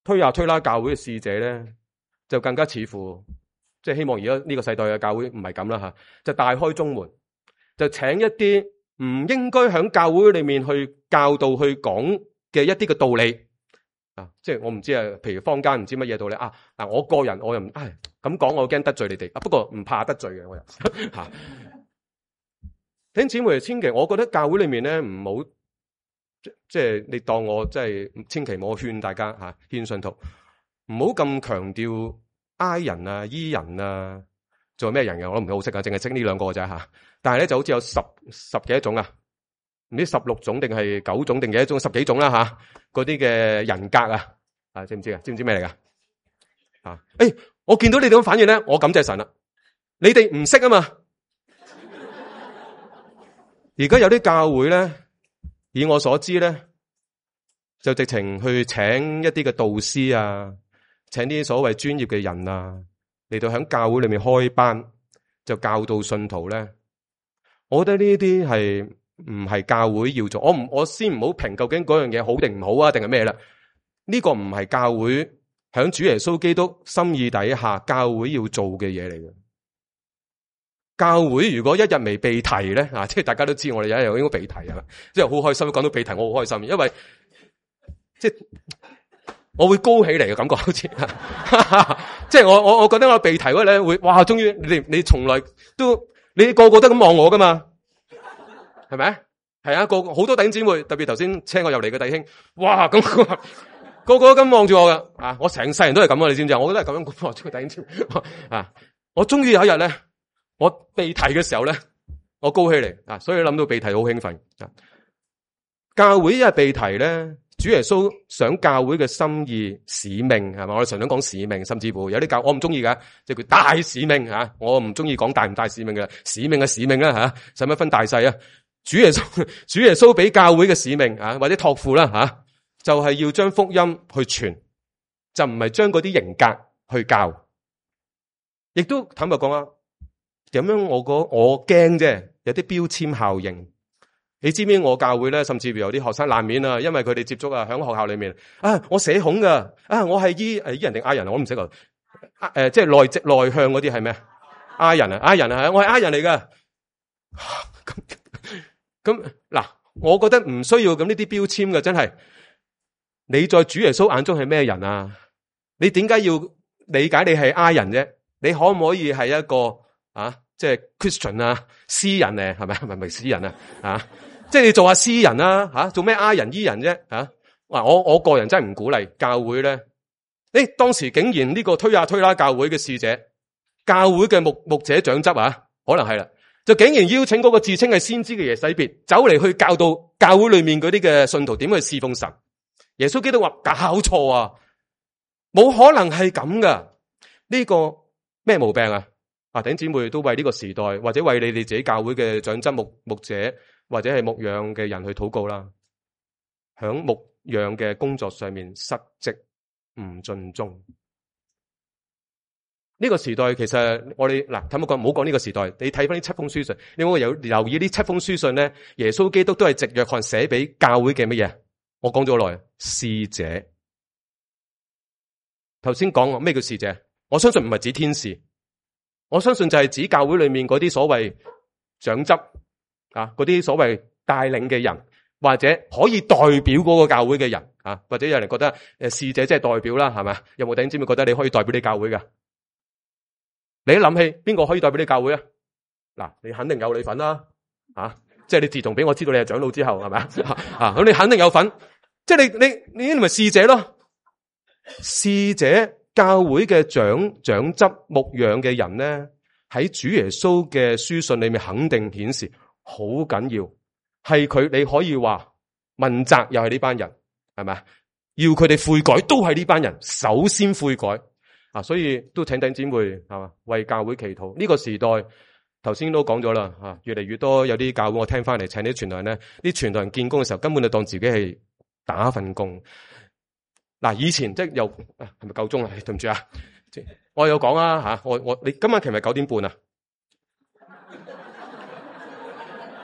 [SPEAKER 1] 推雅推拉教會嘅使者咧，就更加似乎即係希望而家呢個世代嘅教會唔係咁啦就大開中門，就請一啲唔應該喺教會裏面去教導去講嘅一啲嘅道理即係我唔知譬如坊間唔知乜嘢道理我個人我又唔咁講，我驚得罪你哋不過唔怕得罪嘅我又弟兄姊妹，千祈我覺得教會裏面咧唔好即係你當我即係千祈唔好勸大家勸信徒唔好咁強調挨人醫人做咩人嘅我都唔係好識淨係識呢兩個啫但係咧就好似有十幾種唔知16種定係9種定幾種10幾種啦嗰啲嘅人格知唔知啊？知唔知咩嚟噶我見到你哋咁反應咧，我感謝神啦。你哋唔識啊嘛。而家有啲教會咧，以我所知咧，就直情去請一啲嘅導師請啲所謂專業嘅人嚟到喺教會裏面開班，就教導信徒咧。我覺得呢啲係唔係教會要做？我先唔好評究竟嗰樣嘢好定唔好定係咩啦？呢個唔係教會響主耶穌基督心意底下教會要做嘅嘢嚟嘅。教會如果一日未被提咧，即係大家都知我哋有一日應該被提即係好開心。講到被提，我好開心，因為即係我會高起嚟嘅感覺，好似即係我覺得我被提嗰咧會哇，終於你從來都你個個都咁望我噶嘛，係咪？係啊，好多弟兄姊妹，特別頭先請我入嚟嘅弟兄，哇咁個個都咁望住我噶我成世人都係咁你知唔知啊？我都係咁樣望住弟兄姊妹我終於有一日咧。我被提嘅時候咧，我高起嚟所以諗到被提好興奮教會一日被提咧，主耶穌想教會嘅心意使命係嘛？我哋常常講使命，甚至乎有啲教我唔中意嘅，即係佢大使命我唔中意講大唔大使命嘅，使命嘅使命啦使乜分大細主耶穌俾教會嘅使命或者託付啦就係要將福音去傳，就唔係將嗰啲人格去教。亦都坦白講點樣我驚啫，有啲標籤效應。你知唔知我教會咧，甚至乎有啲學生難免啊，因為佢哋接觸啊，喺學校裏面啊，我社恐噶，啊，我係醫人定I人，我都唔識啊。即係內向嗰啲係咩？I人啊，I人啊，我係I人嚟噶。咁嗱，我覺得唔需要咁呢啲標籤嘅，真係。你在主耶穌眼中係咩人啊？你點解要理解你係I人啫？你可唔可以係一個即係 Christian 啊，詩人咧，係咪？係咪詩人啊？即係你做下詩人啦，做咩I人醫人啫？我個人真係唔鼓勵教會咧。當時竟然呢個推啦教會嘅使者，教會嘅牧者長執可能係啦，就竟然邀請嗰個自稱係先知嘅耶洗別走嚟去教導教會裏面嗰啲嘅信徒點去侍奉神。耶穌基督話搞錯啊，冇可能係咁噶。呢個咩毛病啊？弟兄姊妹都為呢個時代，或者為你哋自己教會嘅長執牧者，或者係牧養嘅人去禱告啦。響牧養嘅工作上面失職唔盡忠。呢個時代其實我哋睇唔好講呢個時代，你睇翻呢7封書信，你會有留意呢7封書信咧，耶穌基督都係藉約翰寫俾教會嘅乜嘢？我講咗好耐，使者。頭先講咩叫使者？我相信唔係指天使，我相信就係指教會裏面嗰啲所謂長執嗰啲所謂帶領嘅人，或者可以代表嗰個教會嘅人或者有人覺得使者即係代表啦，係咪？有冇弟兄姊妹覺得你可以代表你教會㗎？你一諗起邊個可以代表你教會啊？嗱，你肯定有你份啦，即係你自從俾我知道你係長老之後，係咪咁你肯定有份，即係你咪使者咯。使者教會嘅長執牧養嘅人咧，喺主耶穌嘅書信裏面肯定顯示好緊要，係佢你可以話問責又係呢班人，係咪？要佢哋悔改都係呢班人首先悔改。所以都請弟兄姊妹係嘛，為教會祈禱。呢個時代頭先都講咗啦，越嚟越多有啲教會我聽翻嚟請啲傳道人咧，啲傳道人見工嘅時候根本就當自己係打份工。以前即係又係咪夠鐘啊？對唔住啊，我有講你今晚其實9點半啊？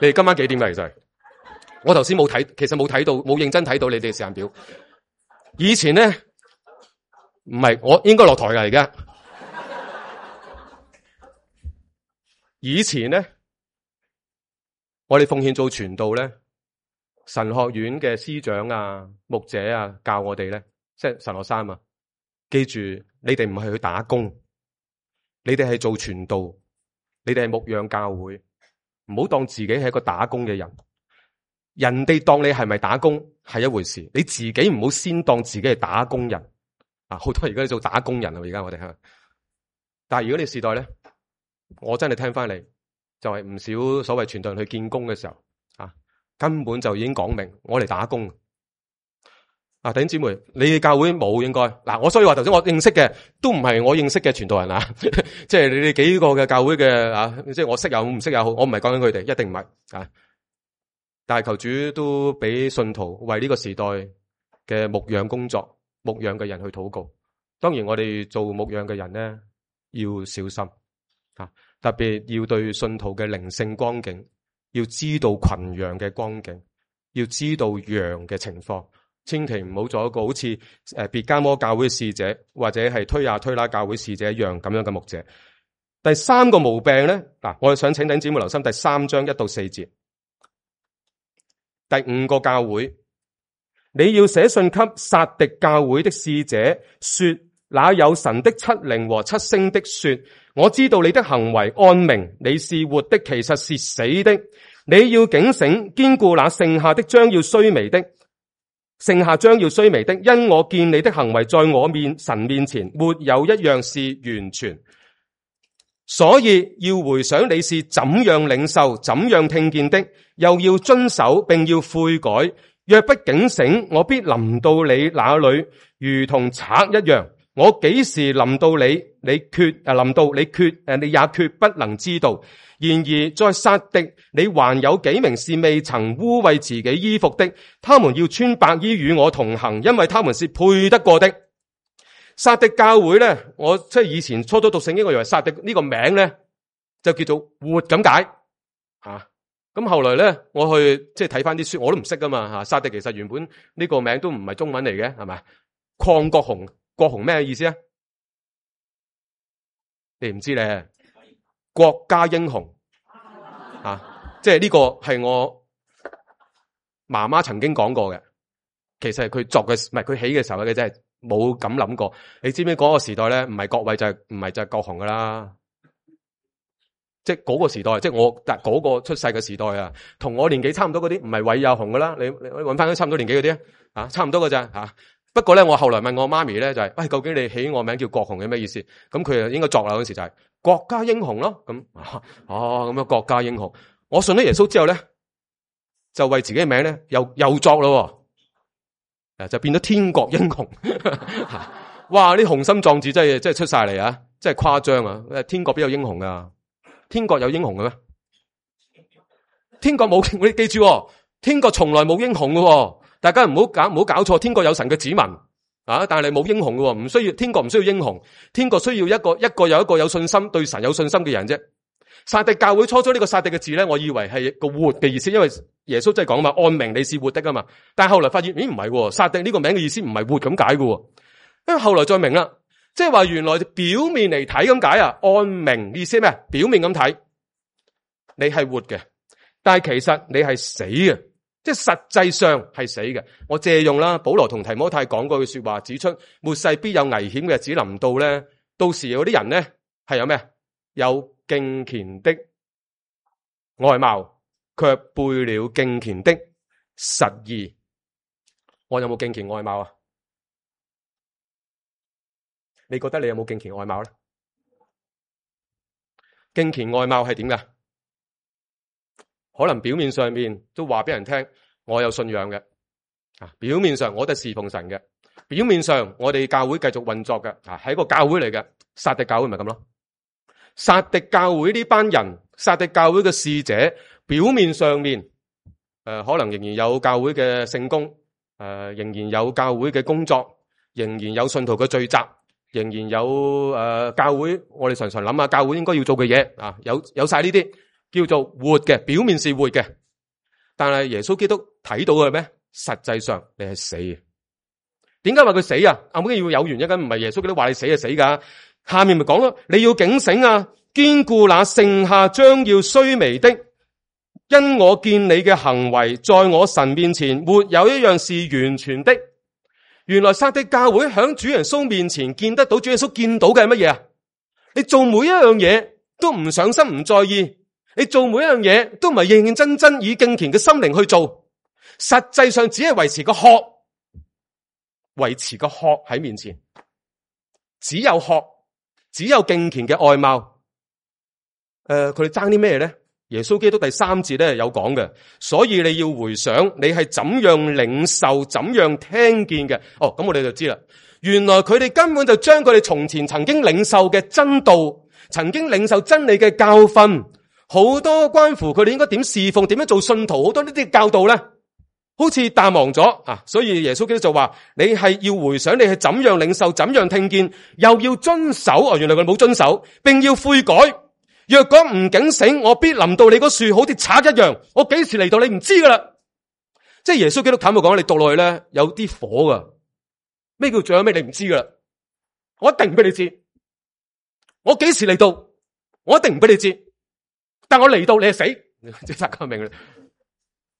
[SPEAKER 1] 你哋今晚幾點㗎？其實我頭先冇睇，其實冇睇到，冇認真睇到你哋時間表。以前咧。唔係，我應該落台㗎而家。以前咧，我哋奉獻做傳道咧，神學院嘅師長牧者教我哋咧，即係神學生記住，你哋唔係去打工，你哋係做傳道，你哋係牧養教會，唔好當自己係一個打工嘅人。人哋當你係咪打工係一回事，你自己唔好先當自己係打工人。好多而家做打工人啊！而家我哋但係如果你時代咧，我真係聽翻嚟，就係唔少所謂傳道人去見工嘅時候，根本就已經講明我嚟打工。弟兄姊妹，你嘅教會冇應該我所以話頭先我認識嘅都唔係我認識嘅傳道人即係你哋幾個嘅教會嘅即係我識又好唔識又好，我唔係講緊佢哋，一定唔係但係求主都俾信徒為呢個時代嘅牧養工作。牧養嘅人去禱告，當然我哋做牧養嘅人咧要小心特別要對信徒嘅靈性光景，要知道群羊嘅光景，要知道羊嘅情況，千祈唔好做一個好似別迦摩教會嘅使者，或者係推啦教會使者一樣咁樣嘅牧者。第三個毛病咧，我想請弟兄姊妹留心第3章1到4節，第5個教會。你要寫信給撒狄教會的使者說，那有神的7靈和7星的說，我知道你的行為按名，你是活的，其實是死的。你要警醒，堅固那剩下的將要衰微的，因我見你的行為在我神面前沒有一樣是完全，所以要回想你是怎樣領受、怎樣聽見的，又要遵守並要悔改。若不警醒，我必臨到你那裏，如同賊一樣。我幾時臨到你，你也決不能知道。然而在撒狄，你還有幾名是未曾污穢自己衣服的，他們要穿白衣與我同行，因為他們是配得過的。撒狄教會咧，我即係以前初初讀聖經，我以為撒狄呢個名咧就叫做活咁解啊。咁後來咧，我去即係睇翻啲書，我都唔識噶嘛吓。撒狄其實原本呢個名都唔係中文嚟嘅，係咪？曠國雄，國雄咩意思啊？你唔知咧？國家英雄啊，即係呢個係我媽媽曾經講過嘅。其實係佢作嘅，唔係佢起嘅時候嘅，真係冇咁諗過。你知唔知嗰個時代咧，唔係國偉就係唔係就係國雄噶啦？即係嗰個時代，即係我嗰個出世嘅時代啊，同我年紀差唔多嗰啲，唔係偉又雄噶啦。你搵翻啲差唔多年紀嗰啲啊，差唔多噶咋吓？不過咧，我後來問我媽咪咧，就係喂，究竟你起我名叫國雄係咩意思？咁佢啊應該作啦嗰時就係國家英雄咯。咁咁樣國家英雄。我信咗耶穌之後咧，就為自己嘅名咧又作咯，就變咗天國英雄。哇！啲雄心壯志真係出晒嚟啊！真係誇張啊！天國邊有英雄啊？天國有英雄嘅咩？天國冇，你記住，天國從來冇英雄嘅，大家唔好搞錯。天國有神嘅子民啊，但係冇英雄嘅，唔需要，天國唔需要英雄，天國需要一個又一個有信心、對神有信心嘅人啫。撒狄教會初初呢個撒狄嘅字咧，我以為係個活嘅意思，因為耶穌真係講嘛，按名你是活的啊嘛。但係後來發現，咦唔係，撒狄呢個名嘅意思唔係活咁解嘅，因為後來再明啦。即係話原來表面嚟睇咁解啊，按名意思咩？表面咁睇，你係活嘅，但係其實你係死嘅，即係實際上係死嘅。我借用啦，保羅同提摩太講過句說話，指出末世必有危險嘅日子臨到咧，到時嗰啲人咧係有咩？有敬虔的外貌，卻背了敬虔的實意。我有冇敬虔外貌啊？你覺得你有冇敬虔外貌咧？敬虔外貌係點噶？可能表面上面都話俾人聽，我有信仰嘅啊。表面上我哋侍奉神嘅，表面上我哋教會繼續運作嘅啊，係一個教會嚟嘅。撒狄教會咪咁咯？撒狄教會呢班人，撒狄教會嘅使者，表面上面可能仍然有教會嘅聖工，仍然有教會嘅工作，仍然有信徒嘅聚集。仍然有教會，我哋常常諗下教會應該要做嘅嘢啊，有晒呢啲叫做活嘅，表面是活嘅，但係耶穌基督睇到嘅咩？實際上你係死嘅。點解話佢死啊？後尾要有原因，唔係耶穌基督話你死就死噶。下面咪講咯，你要警醒啊，堅固那剩下將要衰微的，因我見你嘅行為在我神面前沒有一樣是完全的。原來撒狄教會響主耶穌面前見得到主耶穌見到嘅係乜嘢啊？你做每一樣嘢都唔上心唔在意，你做每一樣嘢都唔係認認真真以敬虔嘅心靈去做，實際上只係維持個殼，維持個殼喺面前，只有殼，只有敬虔嘅外貌。佢哋爭啲咩咧？耶穌基督第3節咧有講嘅，所以你要回想你係怎樣領受、怎樣聽見嘅。咁我哋就知啦。原來佢哋根本就將佢哋從前曾經領受嘅真道、曾經領受真理嘅教訓，好多關乎佢哋應該點侍奉、點樣做信徒，好多呢啲教導咧，好似淡忘咗啊。所以耶穌基督就話：你係要回想你係怎樣領受、怎樣聽見，又要遵守。原來佢冇遵守，並要悔改。若果唔警醒，我必臨到你嗰樹，好似賊一樣。我幾時嚟到你唔知噶啦。即係耶穌基督坦白講，你讀落去咧有啲火噶。咩叫最後尾你唔知噶啦？我一定唔俾你知。我幾時嚟到？我一定唔俾你知。但我嚟到你係死，即係大家明啦。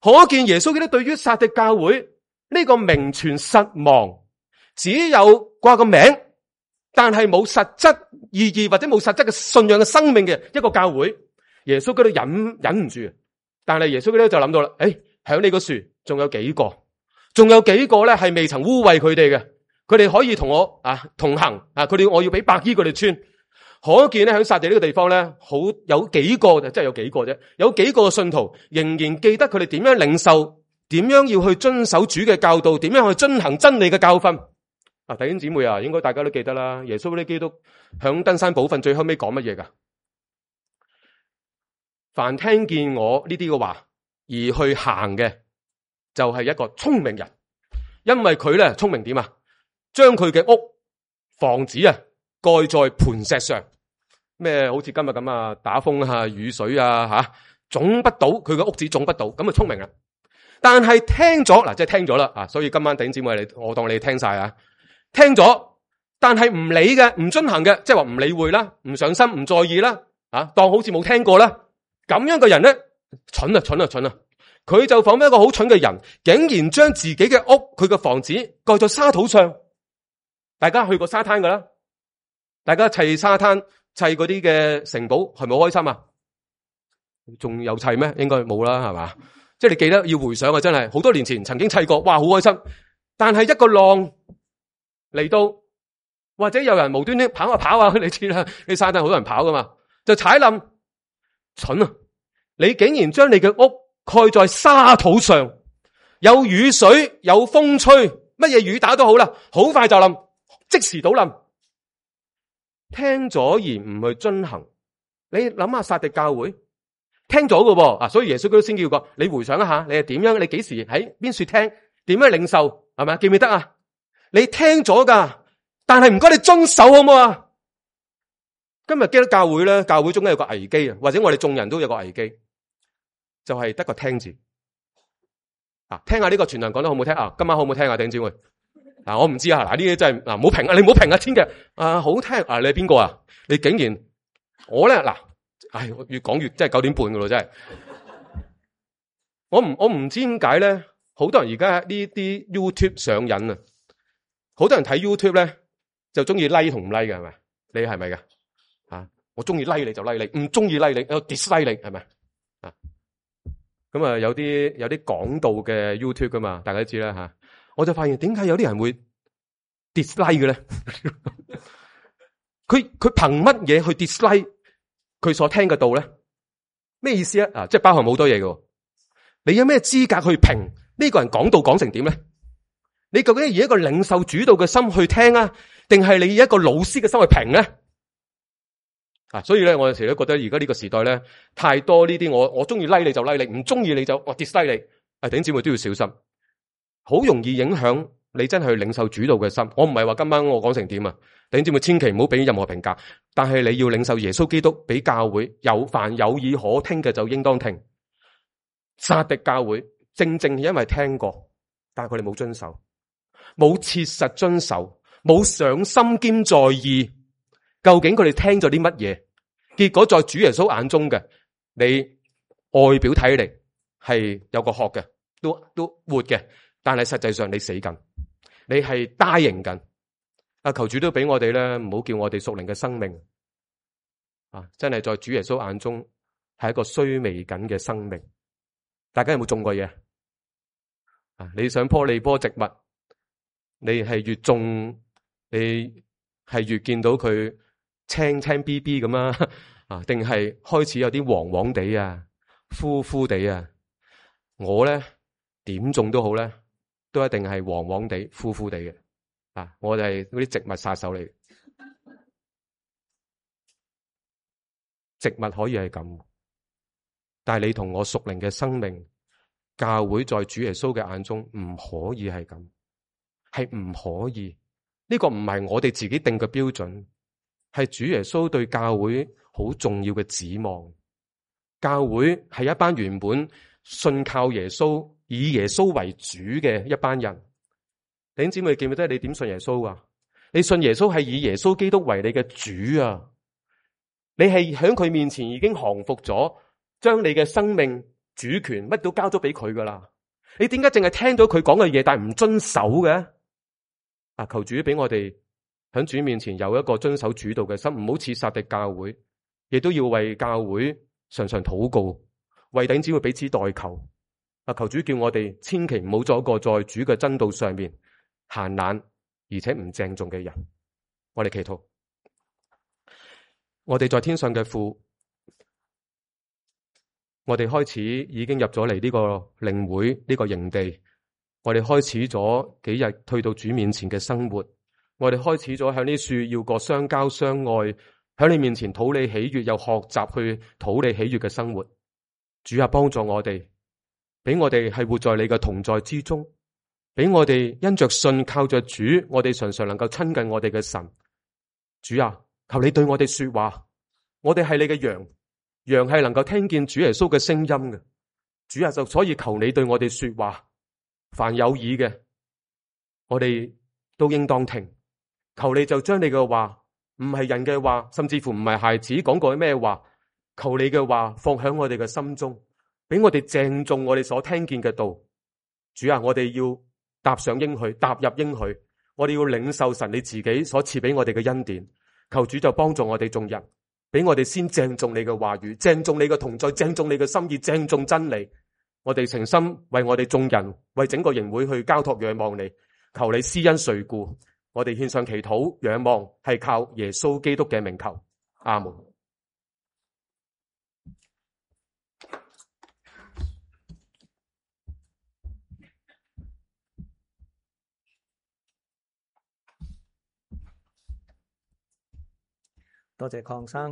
[SPEAKER 1] 可見耶穌基督對於撒狄教會呢個名存實亡，只有掛個名，但係冇實質意義或者冇實質嘅信仰嘅生命嘅一個教會，耶穌基督忍唔住，但係耶穌基督就諗到啦，響呢個樹仲有幾個咧係未曾污穢佢哋嘅，佢哋可以同我同行我要俾白衣佢哋穿。可見咧響撒狄呢個地方咧，有幾個就真係有幾個啫，有幾個信徒仍然記得佢哋點樣領受，點樣要去遵守主嘅教導，點樣去遵行真理嘅教訓。弟兄姊妹啊，應該大家都記得啦。耶穌基督響登山寶訓最後尾講乜嘢噶？凡聽見我呢啲嘅話而去行嘅，就係一個聰明人，因為佢咧聰明點啊？將佢嘅屋房子蓋在磐石上。咩好似今日咁啊，打風啊、雨水啊吓，種不到佢個屋子種不到，咁啊聰明啦。但係聽咗嗱，即係聽咗啦啊，所以今晚弟兄姊妹我當你聽晒啊，聽咗，但係唔理嘅、唔遵行嘅，即係話唔理會啦、唔上心、唔在意啦，啊，當好似冇聽過啦。咁樣嘅人咧，蠢啊！佢就仿佛一個好蠢嘅人，竟然將自己嘅屋、佢嘅房子蓋在沙土上。大家去過沙灘噶啦，大家砌沙灘、砌嗰啲嘅城堡，係咪好開心啊？仲有砌咩？應該冇啦，係嘛？即係你記得要回想啊，真係好多年前曾經砌過，哇，好開心。但係一個浪嚟到，或者有人無端端跑啊，你知啦，你沙灘好多人跑噶嘛，就踩冧，蠢啊！你竟然將你嘅屋蓋在沙土上，有雨水，有風吹，乜嘢雨打都好啦，好快就冧，即時倒冧。聽咗而唔去遵行，你諗下撒狄教會聽咗㗎噃啊，所以耶穌基督先叫過你回想一下，你係點樣？你幾時喺邊處聽？點樣領受？係咪？記唔記得啊？你聽咗噶，但係唔該你遵守好唔好啊？今日基督教會咧，教會中間有個危機啊，或者我哋眾人都有個危機，就係得個聽字啊。聽下呢個傳道講得好唔好聽啊？今晚好唔好聽啊？弟兄姊妹嗱，我唔知啊。嗱，呢啲真係嗱，唔好評啊，你唔好評啊，千祈啊，好聽啊，你係邊個啊？你竟然我咧嗱，唉，越講越真係9點半噶咯，真係。我唔知點解咧，好多人而家呢啲 YouTube 上癮啊，好多人睇 YouTube 咧就中意 like 同唔 like 嘅，係咪？你係咪嘅？啊，我中意 like 你就 like 你，唔中意 like 你，我 dislike 你，係咪？啊，咁啊有啲講道嘅 YouTube 噶嘛，大家都知啦吓。我就發現點解有啲人會 dislike 嘅咧？佢憑乜嘢去 dislike 佢所聽嘅道咧？咩意思啊？啊，即係包含好多嘢嘅。你有咩資格去評呢個人講道講成點咧？你究竟以一個領受主導嘅心去聽啊，定係你以一個老師嘅心去評咧？啊，所以咧，我有時都覺得而家呢個時代咧，太多呢啲我中意 like 你就 like 你，唔中意你就我 dislike 你。啊，弟兄姊妹都要小心，好容易影響你真係去領受主導嘅心。我唔係話今晚我講成點啊，弟兄姊妹千祈唔好俾任何評價，但係你要領受耶穌基督俾教會凡有耳可聽嘅就應當聽。撒狄教會正因為聽過，但係佢哋冇遵守，冇切實遵守，冇上心兼在意，究竟佢哋聽咗啲乜嘢？結果在主耶穌眼中嘅，你外表睇嚟係有個殼嘅，都活嘅，但係實際上你死緊，你係dying緊。啊，求主都俾我哋咧，唔好叫我哋屬靈嘅生命啊，真係在主耶穌眼中係一個衰微緊嘅生命。大家有冇種過嘢啊？你想棵利波植物，你係越種，你係越見到佢青青 BB 咁啊？定係開始有啲黃黃地啊、枯枯地啊？我咧點種都好咧，都一定係黃黃地、枯枯地嘅啊！我哋係嗰啲植物殺手嚟，植物可以係咁。但係你同我屬靈嘅生命，教會在主耶穌嘅眼中唔可以係咁，係唔可以。呢個唔係我哋自己定嘅標準，係主耶穌對教會好重要嘅指望。教會係一班原本信靠耶穌、以耶穌為主嘅一班人。弟兄姊妹記唔記得你點信耶穌啊？你信耶穌係以耶穌基督為你嘅主啊！你係喺佢面前已經降服咗。將你嘅生命主權乜都交咗俾佢噶啦，你點解淨係聽到佢講嘅嘢，但係唔遵守嘅？啊，求主俾我哋喺主面前有一個遵守主導嘅心，唔好似撒狄教會，亦都要為教會常常禱告，為弟兄姊妹彼此代求。啊，求主叫我哋千祈唔好做一個在主嘅真道上面閒懶而且唔鄭重嘅人。我哋祈禱，我哋在天上嘅父。我哋開始已經入咗嚟呢個靈會呢個營地，我哋開始咗幾日退到主面前嘅生活，我哋開始咗向呢樹要過相交相愛，喺你面前討你喜悅，又學習去討你喜悅嘅生活。主啊，幫助我哋，俾我哋係活在你嘅同在之中，俾我哋因着信靠着主，我哋常常能夠親近我哋嘅神。主啊，求你對我哋說話，我哋係你嘅羊，羊係能夠聽見主耶穌嘅聲音嘅。主啊，就所以求你對我哋說話，凡有耳嘅，我哋都應當聽。求你就將你嘅話，唔係人嘅話，甚至乎唔係孩子講過咩話，求你嘅話放響我哋嘅心中，俾我哋鄭重我哋所聽見嘅道。主啊，我哋要踏上應許，踏入應許，我哋要領受神你自己所賜俾我哋嘅恩典。求主就幫助我哋眾人，俾我哋先鄭重你嘅話語，鄭重你嘅同在，鄭重你嘅心意，鄭重真理。我哋誠心為我哋眾人，為整個營會去交託仰望你，求你施恩垂顧。我哋獻上祈禱仰望，係靠耶穌基督嘅名求。阿門。
[SPEAKER 2] 多謝鄺生。